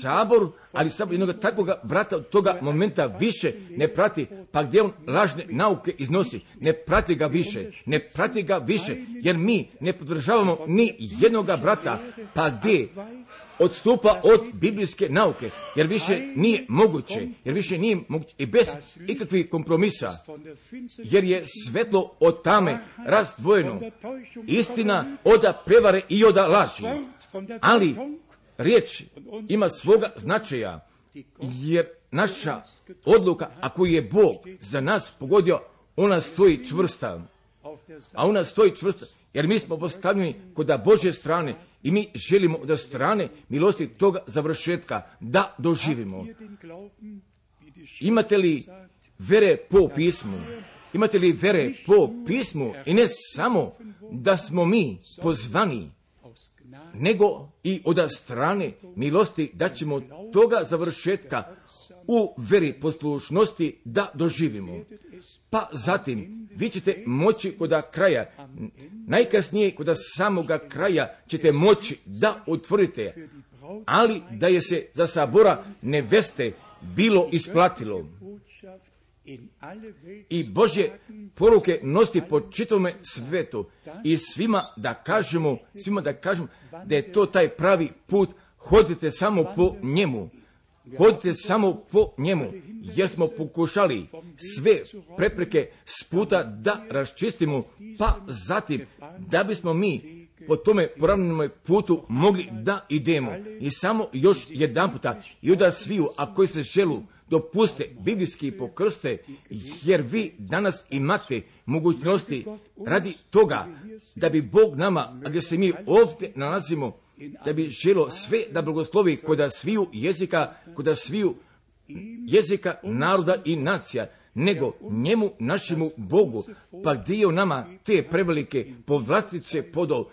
S1: sabor, ali sabor jednog takvog brata od toga momenta više ne prati, pa gdje on lažne nauke iznosi, ne prati ga više, ne prati ga više, jer mi ne podržavamo ni jednoga brata, pa gdje odstupa od biblijske nauke, jer više nije moguće, jer više nije moguće i bez ikakvih kompromisa, jer je svetlo od tame razdvojeno, istina od prevare i od laži, ali riječ ima svoga značaja, jer naša odluka, ako je Bog za nas pogodio, ona stoji čvrsta, a ona stoji čvrsta, jer mi smo postavljeni kod Božje strane i mi želimo da strane milosti toga završetka da doživimo. Imate li vere po pismu? Imate li vere po pismu? I ne samo da smo mi pozvani, nego i od strane milosti da ćemo toga završetka u veri poslušnosti da doživimo. Pa zatim vi ćete moći kod kraja, najkasnije kod samoga kraja ćete moći da utvrdite, ali da je se za sabora neveste bilo isplatilo. I Božje poruke nosti po čitavome svetu i svima da kažemo, svima da kažemo da je to taj pravi put, hodite samo po njemu. Hodite samo po njemu, jer smo pokušali sve prepreke s puta da raščistimo, pa zatim da bismo mi po tome poravnjenom putu mogli da idemo. I samo još jedan puta, i onda sviju, a koji se želu dopuste biblijski pokrste, jer vi danas imate mogućnosti radi toga da bi Bog nama, a gdje se mi ovdje nalazimo, da bi želo sve da blagoslovi kod sviju jezika, kod sviju jezika, naroda i nacija, nego njemu, našemu Bogu, pa gdje je nama te prevelike povlastice podao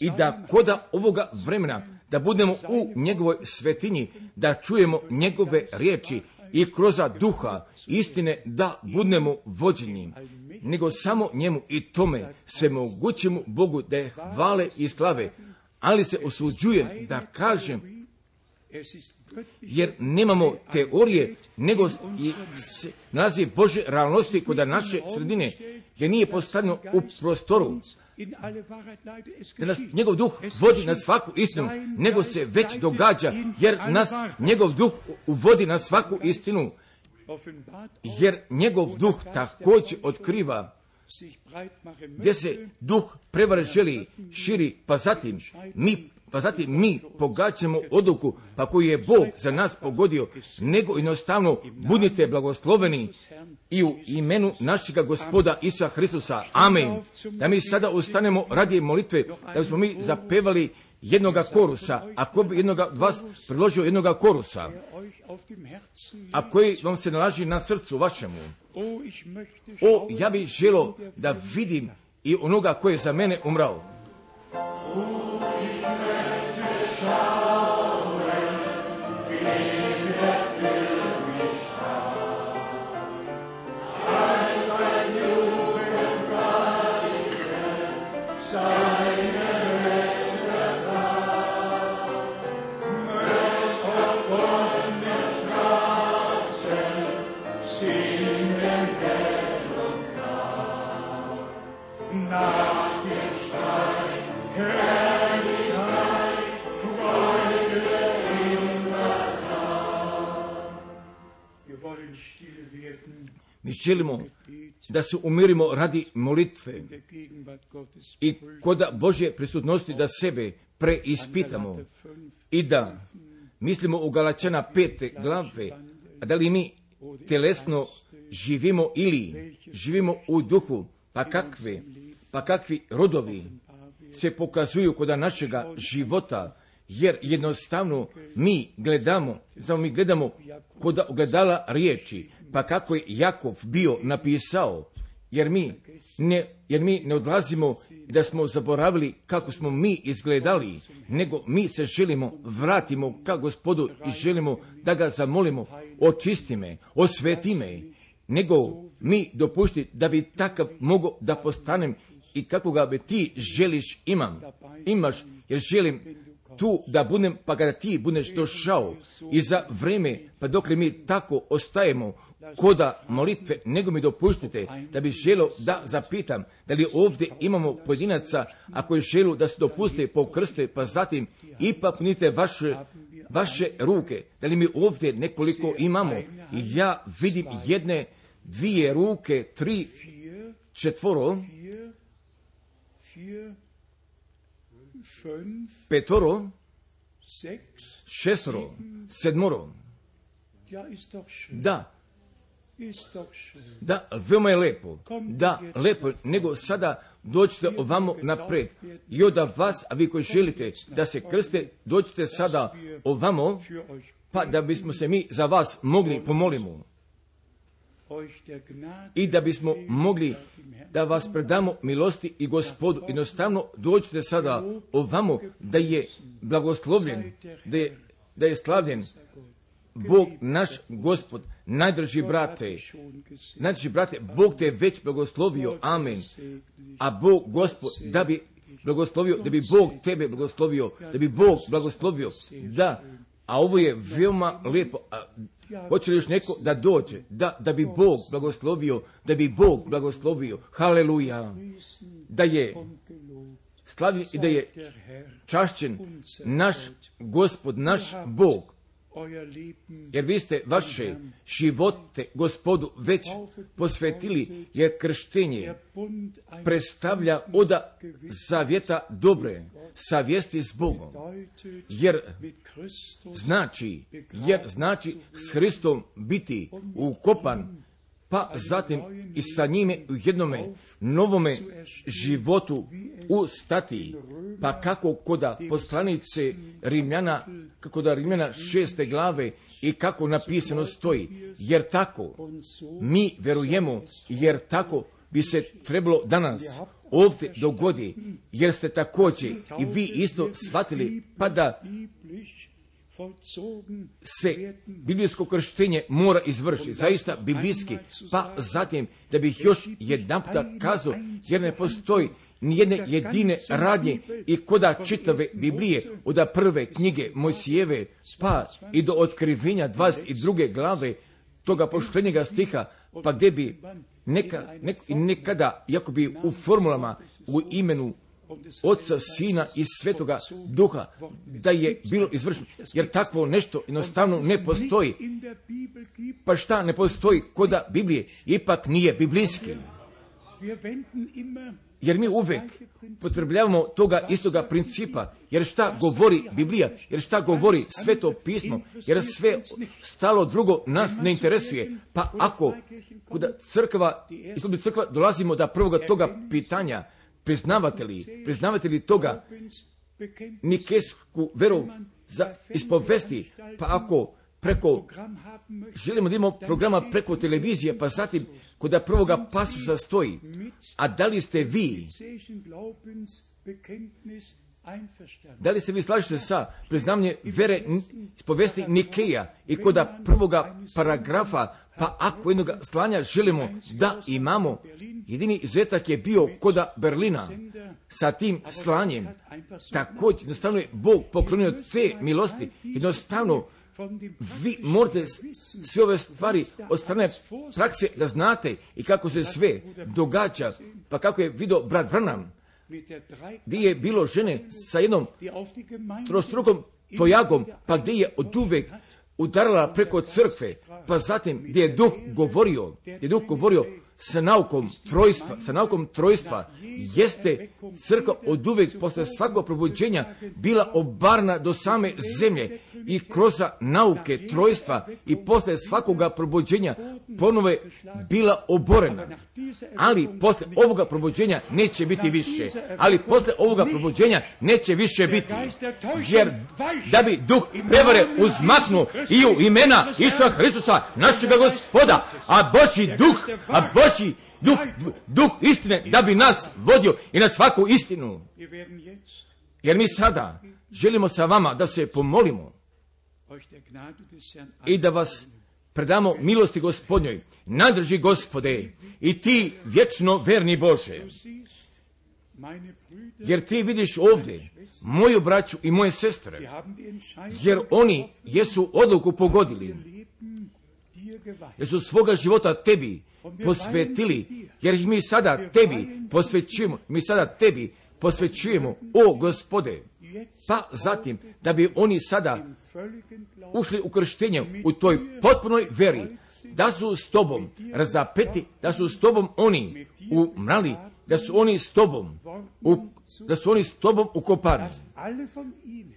S1: i da koda ovoga vremena, da budemo u njegovoj svetinji, da čujemo njegove riječi i kroz duha istine da budemo vođeni, nego samo njemu i tome sve mogućemu Bogu da je hvale i slave. Ali se osuđujem da kažem, jer nemamo teorije, nego se nalazi Božje realnosti kod naše sredine, jer nije postavljeno u prostoru. Da nas njegov duh vodi na svaku istinu, nego se već događa, jer nas njegov duh uvodi na svaku istinu, jer njegov duh također otkriva gdje se duh prevare želi širi, pa zatim mi, pa zatim mi pogađamo odluku, pa koju je Bog za nas pogodio, nego jednostavno budite blagosloveni i u imenu našega Gospoda Isusa Hristusa. Amen. Da mi sada ustanemo radi molitve, da bismo mi zapevali jednoga korusa, ako bi jednoga od vas predložio jednoga korusa, a koji vam se nalazi na srcu vašemu. O, ja bih želio da vidim i onoga koji je za mene umrao. Mi želimo da se umirimo radi molitve i kod Božje prisutnosti da sebe preispitamo i da mislimo u Galačana pete glave, a da li mi telesno živimo ili živimo u duhu, pa kakve, pa kakvi rodovi se pokazuju kod našega života, jer jednostavno mi gledamo, samo mi gledamo kod ogledala riječi, Pa kako je Jakov bio napisao, jer mi ne, jer mi ne odlazimo da smo zaboravili kako smo mi izgledali, nego mi se želimo, vratimo ka Gospodu i želimo da ga zamolimo, očisti me, osveti me, nego mi dopušti da bi takav mogao da postanem i kako ga bi ti želiš imam, imaš, jer želim tu da budem, pa kada ti budeš došao i za vreme, pa dokle mi tako ostajemo koda molitve, nego mi dopuštite da bi želio da zapitam da li ovdje imamo pojedinaca, ako je želu da se dopuste pokrste, pa zatim ipak punite vaše, vaše ruke, da li mi ovdje nekoliko imamo. I ja vidim jedne, dvije ruke, tri, četvoro, petoro, šestoro, sedmoro. Da, da, veoma je lepo, da, lepo, nego sada dođite ovamo napred i od vas, a vi koji želite da se krste, dođite sada ovamo, pa da bismo se mi za vas mogli pomolimo i da bismo mogli da vas predamo milosti i Gospodu. Jednostavno dođite sada ovamo da je blagoslovljen, da je, da je slavljen Bog naš Gospod. Najdrži brate, najdrži brate, Bog te je već blagoslovio, amen. A Bog Gospod da bi blagoslovio, da bi Bog tebe blagoslovio, da bi Bog blagoslovio, da, a ovo je veoma lijepo. A hoće li još neko da dođe, da, da bi Bog blagoslovio, da bi Bog blagoslovio, haleluja, da je slavljen i da je čašćen naš Gospod, naš Bog. Jer vi ste vaše živote Gospodu već posvetili, jer krštenje predstavlja oda zavjeta dobre, savjesti s Bogom. Jer znači, jer znači s Hristom biti ukopan, pa zatim i sa njime u jednome novome životu ustati. Pa kako koda poslanice Rimljana, kako da Rimljana šeste glave i kako napisano stoji. Jer tako mi verujemo, jer tako bi se trebalo danas ovdje dogodi, jer ste također i vi isto shvatili, pa da se biblijsko krštenje mora izvršiti, zaista biblijski, pa zatim da bih još jedan puta kazao, jer ne postoji nijedne jedine radnje i koda čitave Biblije, od prve knjige Mojsijeve, pa i do otkrivenja dvadeset druge glave toga poštenjega stiha, pa gdje bi neka, nek, nekada, jako bi u formulama, u imenu Oca, Sina i Svetoga Duha, da je bilo izvršeno, jer takvo nešto jednostavno ne postoji. Pa šta ne postoji koda Biblije, ipak nije biblijski. Jer mi uvek potrebljavamo toga istoga principa, jer šta govori Biblija, jer šta govori Sveto pismo, jer sve stalo drugo nas ne interesuje. Pa ako kuda crkva, ispod crkva dolazimo do prvoga toga pitanja, priznavate li, priznavate li toga nikesku veru za ispovesti, pa ako preko, želimo da imamo programa preko televizije, pa zatim kod prvoga pasusa stoji, a da li ste vi, da li se vi slažete sa priznavanje vere ispovesti Nikeja i kod prvoga paragrafa, pa ako jednog slanja želimo da imamo, jedini izuzetak je bio koda Berlina sa tim slanjem. Također, jednostavno je Bog poklonio te milosti, jednostavno vi morate sve ove stvari od strane prakse da znate i kako se sve događa, pa kako je vidio brat Branham, gdje je bilo žene sa jednom trostrukom tojagom, pa gdje je od uvek udarala preko crkve, pa zatim gdje je duh govorio, gdje je duh govorio, sa naukom trojstva, sa naukom trojstva jeste crkva od uvijek posle svakog probuđenja bila obarna do same zemlje i kroz nauke trojstva i posle svakoga probuđenja ponove bila oborena. Ali posle ovoga probuđenja neće biti više. Ali posle ovoga probuđenja neće više biti. Jer da bi duh prevare uzmaknuo i u imena Isusa Hristusa, našega Gospoda, a Božji duh, a Božji duh, duh istine, da bi nas vodio i na svaku istinu. Jer mi sada želimo sa vama da se pomolimo i da vas predamo milosti Gospodnjoj. Nadrži Gospode i ti vječno verni Bože. Jer ti vidiš ovdje moju braću i moje sestre, jer oni jesu odluku pogodili, jer su svoga života tebi posvetili, jer ih mi sada tebi posvećujemo, mi sada tebi posvećujemo, o Gospode. Pa zatim, da bi oni sada ušli u krštenje u toj potpunoj veri, da su s tobom razapeti, da su s tobom oni umrali, da su oni s tobom, u, da su oni s tobom ukopani.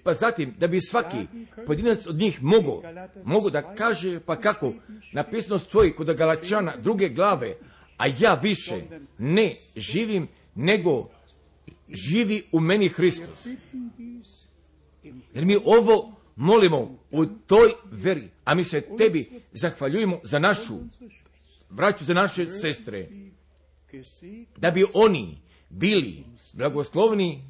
S1: Pa zatim, da bi svaki pojedinac od njih mogo, mogo da kaže, pa kako, napisano stoji kod Galačana druge glave, a ja više ne živim, nego živi u meni Hristos. Jer mi ovo molimo u toj veri, a mi se tebi zahvaljujemo za našu braću, za naše sestre, da bi oni bili blagoslovni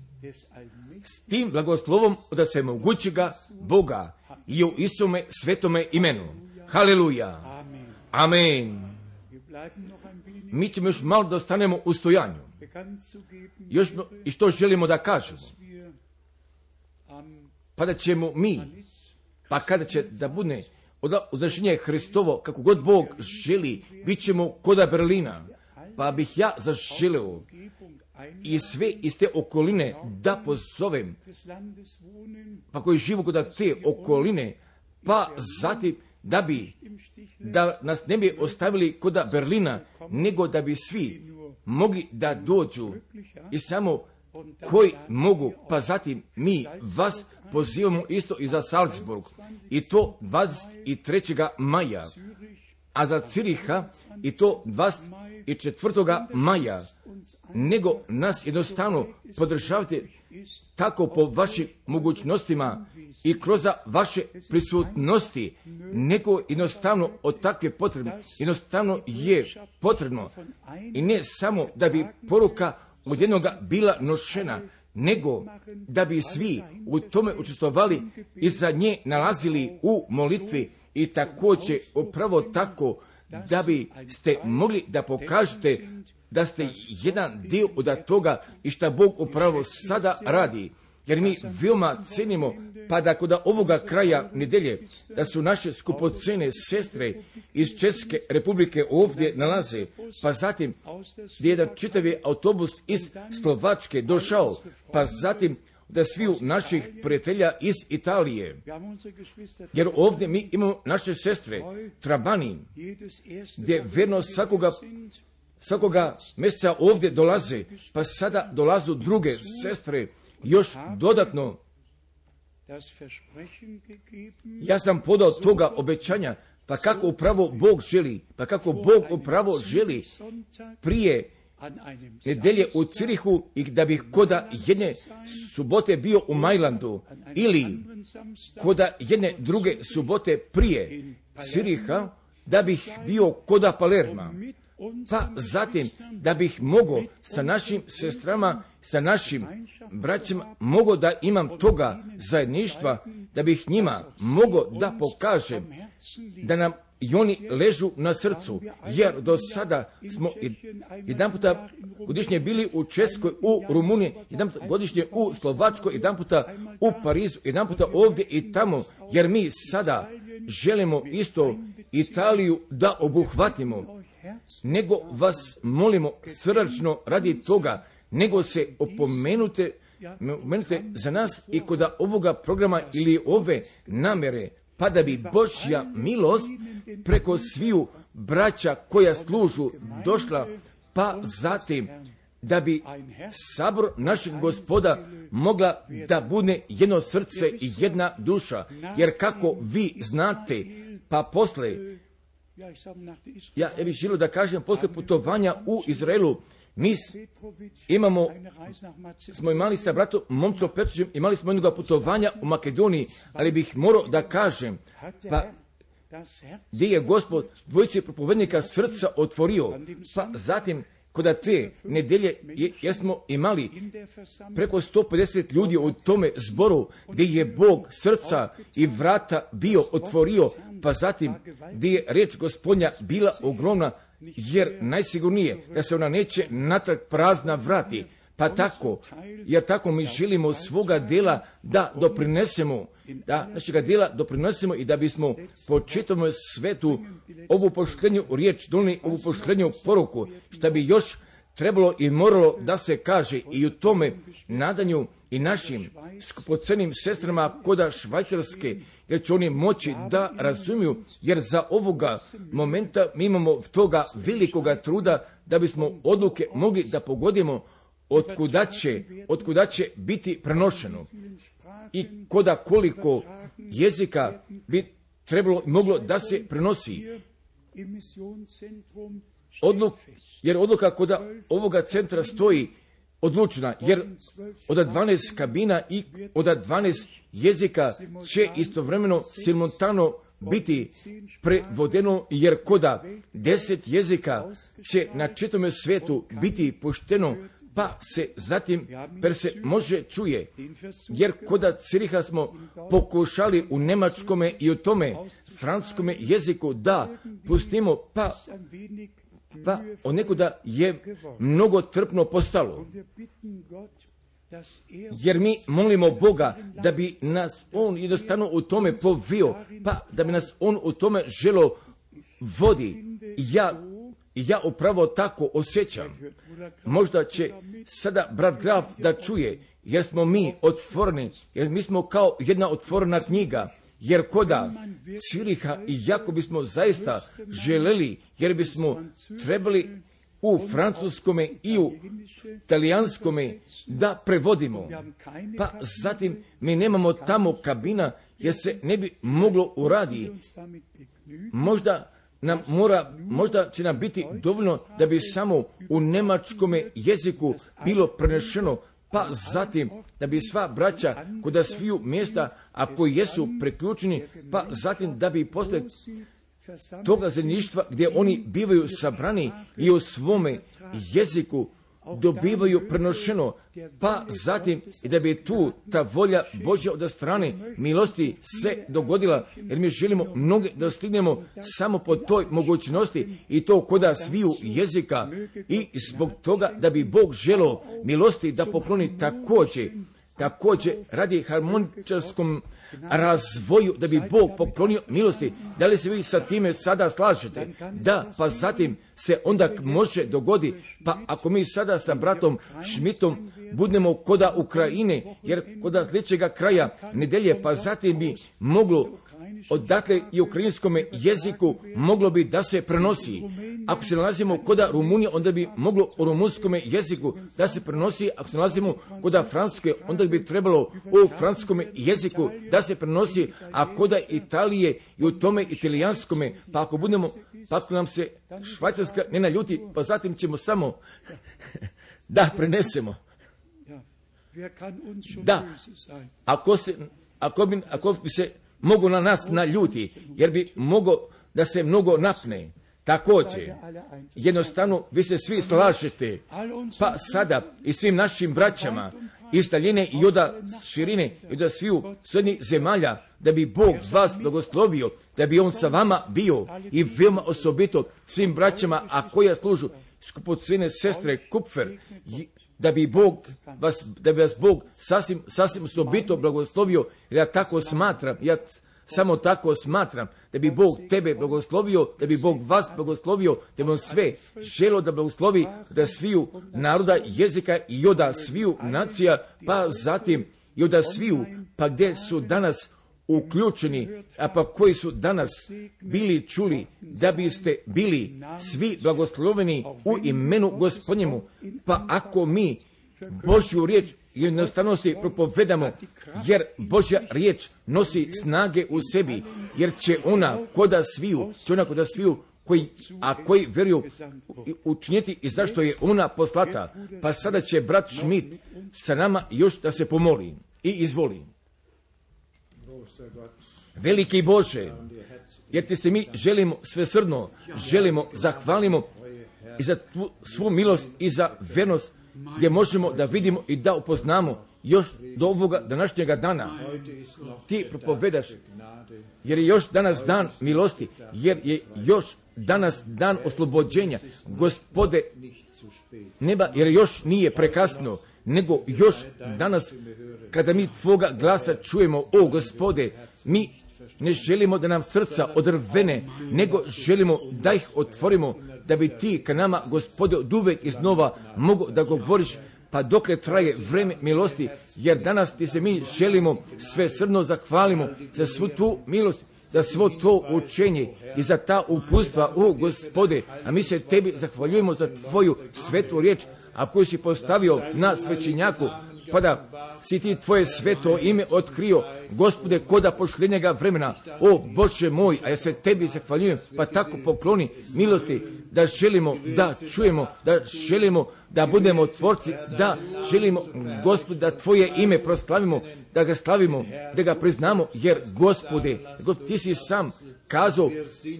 S1: s tim blagoslovom da se mogućega Boga i u Isome svetome imenu. Haleluja. Amen. Mi ćemo još malo da ostanemo u stojanju. Još i što želimo da kažemo. Pa da ćemo mi, pa kada će da bude odlaženje Hristovo, kako god Bog želi, bit ćemo koda Berlina. Pa bih ja zaželeo i sve iz te okoline da pozovem, pa koji živu kod te okoline, pa zatim da bi, da nas ne bi ostavili kod Berlina, nego da bi svi mogli da dođu i samo koji mogu, pa zatim mi vas pozivamo isto i za Salzburg, i to dvadeset trećeg maja, a za Ciriha i to dvadeset četvrtog maja, nego nas jednostavno podržavate tako po vašim mogućnostima i kroz vaše prisutnosti, nego jednostavno od takve potrebe, jednostavno je potrebno i ne samo da bi poruka od jednoga bila nošena, nego da bi svi u tome učestvovali i za nje nalazili u molitvi i također upravo tako da bi ste mogli da pokažete da ste jedan dio od toga i šta Bog upravo sada radi. Jer mi veoma cenimo, pa da kod ovoga kraja nedelje, da su naše skupocene sestre iz Česke republike ovdje nalaze, pa zatim gdje je jedan čitavi autobus iz Slovačke došao, pa zatim da sviju naših prijatelja iz Italije. Jer ovdje mi imamo naše sestre, Trabani, gdje verno svakoga, svakoga mjeseca ovdje dolaze, pa sada dolazu druge sestre, još dodatno. Ja sam podao toga obećanja, pa kako upravo Bog želi, pa kako Bog upravo želi prije nedelje u Cirihu i da bih koda jedne subote bio u Majlandu ili koda jedne druge subote prije Ciriha da bih bio koda Palerma. Pa zatim da bih mogao sa našim sestrama, sa našim braćima, mogao da imam toga zajedništva, da bih njima mogao da pokažem da nam i oni ležu na srcu, jer do sada smo jedan puta godišnje bili u Českoj, u Rumuniji, jedan puta godišnje u Slovačkoj, jedan puta u Parizu, jedan puta ovdje i tamo, jer mi sada želimo isto Italiju da obuhvatimo, nego vas molimo srdačno radi toga, nego se opomenute, opomenute za nas i kod ovoga programa ili ove namere, pa da bi Božja milost preko sviju braća koja služu došla, pa zatim da bi sabor našeg Gospoda mogla da bude jedno srce i jedna duša. Jer kako vi znate, pa posle, ja bih želio da kažem, posle putovanja u Izraelu, mi imamo, smo imali sa bratom Momčom Petrovićem, imali smo jednog putovanja u Makedoniji, ali bih morao da kažem, pa gdje je Gospod dvojici propovednika srca otvorio, pa zatim kod te nedelje, jer smo imali preko sto pedeset ljudi u tome zboru, gdje je Bog srca i vrata bio otvorio, pa zatim gdje je riječ Gospodnja bila ogromna, jer najsigurnije da se ona neće natrag prazna vrati. Pa tako, jer tako mi želimo svoga dela da doprinesemo, da našega dela doprinesemo i da bismo po čitavom svetu ovu poštenju riječ donijeli, ovu poštenju poruku, što bi još trebalo i moralo da se kaže i u tome nadanju i našim skupocenim sestrama koda Švajcarske, jer će oni moći da razumiju, jer za ovoga momenta mi imamo toga velikoga truda da bismo odluke mogli da pogodimo otkuda će, otkuda će biti prenošeno i koda koliko jezika bi trebalo moglo da se prenosi. Odluk, jer odluka koda ovoga centra stoji odlučna, jer od dvanaest kabina i od dvanaest jezika će istovremeno simultano biti prevodeno, jer koda deset jezika će na čitavom svijetu biti pušteno, pa se zatim per se može čuje, jer koda Ciriha smo pokušali u nemačkome i u tome francuskome jeziku da pustimo, pa pa onekuda je mnogo trpno postalo. Jer mi molimo Boga da bi nas On jednostavno u tome povio, pa da bi nas On u tome želo vodi. Ja, ja upravo tako osjećam. Možda će sada brat Graf da čuje, jer smo mi otvoreni, jer mi smo kao jedna otvorena knjiga. Jer koda Ciriha i jako bismo zaista želeli, jer bismo trebali u francuskome i u talijanskome da prevodimo. Pa zatim mi nemamo tamo kabina, jer se ne bi moglo uraditi. Možda nam mora, možda će nam biti dovoljno da bi samo u nemačkome jeziku bilo prenešeno, pa zatim da bi sva braća koda sviju mjesta, a koji jesu preključeni, pa zatim da bi posle toga zemljištva gdje oni bivaju sabrani i u svome jeziku dobivaju prenošeno, pa zatim i da bi tu ta volja Božja od strane milosti se dogodila, jer mi želimo mnoge da stignemo samo po toj mogućnosti i to koda sviju jezika i zbog toga da bi Bog želeo milosti da pokloni također, također radi harmoničarskom razvoju da bi Bog poklonio milosti. Da li se vi sa time sada slažete? Da, pa zatim se onda može dogodi, pa ako mi sada sa bratom Šmitom budemo koda Ukrajine, jer koda sljedećega kraja nedelje, pa zatim bi moglo odatle i ukrajinskome jeziku moglo bi da se prenosi. Ako se nalazimo koda Rumunije, onda bi moglo u rumunskome jeziku da se prenosi. Ako se nalazimo koda Francuske, onda bi trebalo u francuskome jeziku da se prenosi, a koda Italije i u tome italijanskome, pa ako budemo, pa ako nam se Švajcarska ne naljuti, pa zatim ćemo samo da prenesemo. Da, ako se, ako bi, ako bi se mogu na nas naljuti, jer bi mogo da se mnogo napne. Također, jednostavno vi se svi slažete, pa sada i svim našim braćama iz daljine i od širine i od sviju srednjih zemalja, da bi Bog vas blagoslovio, da bi On sa vama bio i veoma osobito svim braćama, a koja služu skupocene sestre Kupfer, da bi Bog vas, da bi vas Bog sasvim, sasvim osobito blagoslovio, jer ja tako smatram, ja samo tako smatram, da bi Bog tebe blagoslovio, da bi Bog vas blagoslovio, da bi On sve želo da blagoslovi, da sviju naroda, jezika i oda sviju nacija, pa zatim i oda sviju, pa gdje su danas uključeni, a pa koji su danas bili čuli, da biste bili svi blagosloveni u imenu Gospodnjemu. Pa ako mi Božju riječ jednostavnosti propovedamo, jer Božja riječ nosi snage u sebi, jer će ona koda sviju, će ona koda sviju, koji, a koji vjeruju učiniti i zašto je ona poslata. Pa sada će brat Schmidt sa nama još da se pomoli i izvoli. Veliki Bože, jer ti se mi želimo svesrdno, želimo, zahvalimo i za tvu, svu milost i za vernost, gdje možemo da vidimo i da upoznamo još do ovoga današnjega dana. Ti propovedaš, jer je još danas dan milosti, jer je još danas dan oslobođenja, Gospode neba, jer još nije prekasno, nego još danas kada mi tvoga glasa čujemo, o Gospode, mi ne želimo da nam srca odrvene, nego želimo da ih otvorimo, da bi ti ka nama, Gospode, od uvek iznova mogu da govoriš, pa dokle traje vreme milosti, jer danas ti se mi želimo svesrdno zahvalimo za svu tu milost, za svo to učenje i za ta upustva, o Gospode, a mi se tebi zahvaljujemo za tvoju svetu riječ, a koju si postavio na svećenjaku, pa da si ti tvoje sveto ime otkrio, Gospode, koda pošljenjega vremena. O Bože moj, a ja se tebi zahvaljujem, pa tako pokloni milosti, da želimo da čujemo, da želimo da budemo tvorci, da želimo, Gospode, da tvoje ime proslavimo, da ga slavimo, da ga priznamo, jer Gospode, ti si sam kazao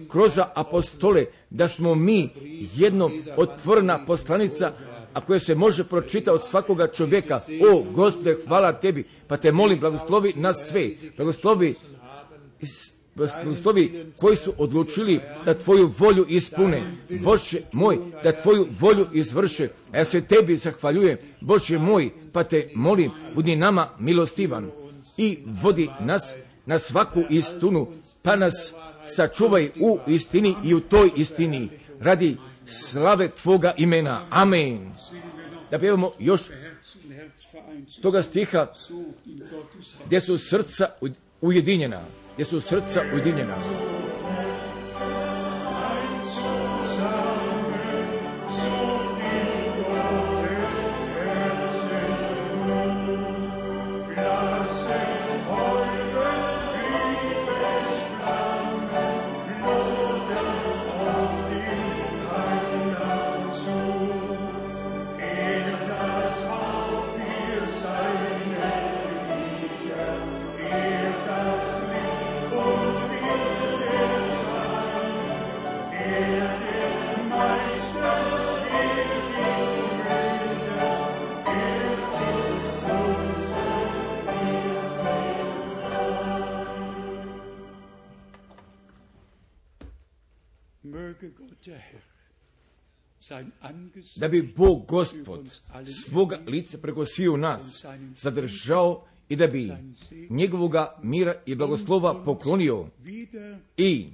S1: kroz apostole da smo mi jedno otvorena poslanica, a koje se može pročitati od svakoga čovjeka. O Gospode, hvala tebi, pa te molim, blagoslovi nas sve, blagoslovi, blagoslovi koji su odlučili da tvoju volju ispune, Bože moj, da tvoju volju izvrše, a ja se tebi zahvaljujem, Bože moj, pa te molim, budi nama milostivan i vodi nas na svaku istinu, pa nas sačuvaj u istini i u toj istini, radi slave tvoga imena. Amen. Da pjevamo još toga stiha gdje su srca ujedinjena, gdje su srca ujedinjena. Da bi Bog Gospod svoga lica preko sviju nas zadržao i da bi njegovoga mira i blagoslova poklonio i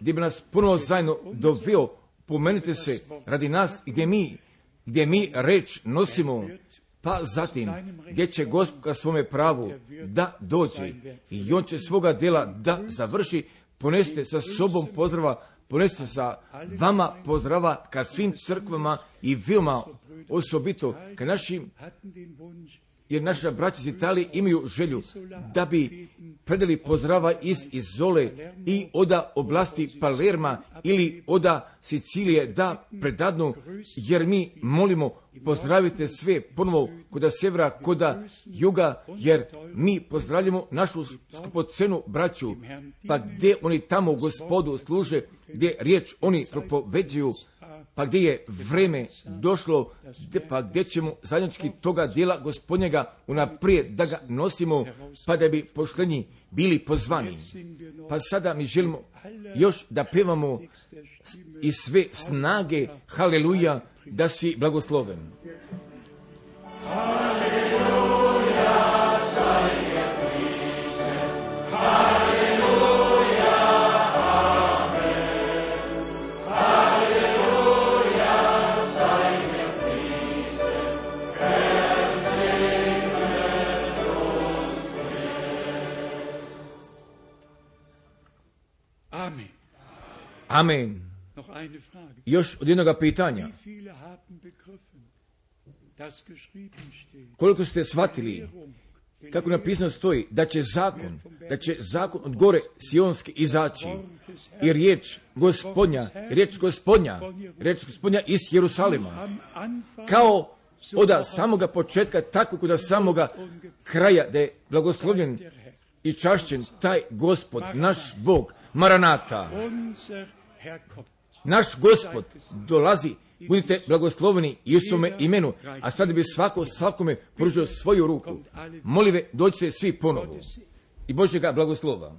S1: gdje bi nas ponovo zajedno doveo, pomenite se radi nas gdje mi, gdje mi reč nosimo, pa zatim gdje će Gospod ka svome pravu da dođe i on će svoga djela da završi. Poneste sa sobom pozdrava, poneste sa vama pozdrava ka svim crkvama i veoma osobito ka našim, jer naša braća iz Italije imaju želju da bi predali pozdrava iz Izole i oda oblasti Palerma ili oda Sicilije da predadnu, jer mi molimo pozdravite sve ponovo koda severa, koda juga, jer mi pozdravljamo našu skupocenu braću, pa gdje oni tamo Gospodu služe, gdje riječ oni propoveđuju, pa gdje je vreme došlo, pa gdje ćemo zajednički toga dijela Gospodnjega unaprijed da ga nosimo, pa da bi pošlenji bili pozvani. Pa sada mi želimo još da pevamo iz sve snage, haleluja, da si blagosloven.
S3: Amen.
S1: Amen.
S3: Noch eine Frage.
S1: Još od jednoga pitanja.
S3: Wie viele haben begriffen, dass geschrieben steht,
S1: Koliko ste shvatili kako napisano stoji da će zakon, da će zakon od gore sionski izaći i riječ gospodnja, riječ gospodnja, riječ gospodnja iz Jerusalima. Kao od samoga početka, tako kod samoga kraja, da je blagoslovljen i čašćen taj Gospod, naš Bog, Maranata. Naš Gospod dolazi, budite blagosloveni Isuse imenu, a sad bi svako svakome pružio svoju ruku. Molive, dođite svi ponovo i Božjega blagoslova.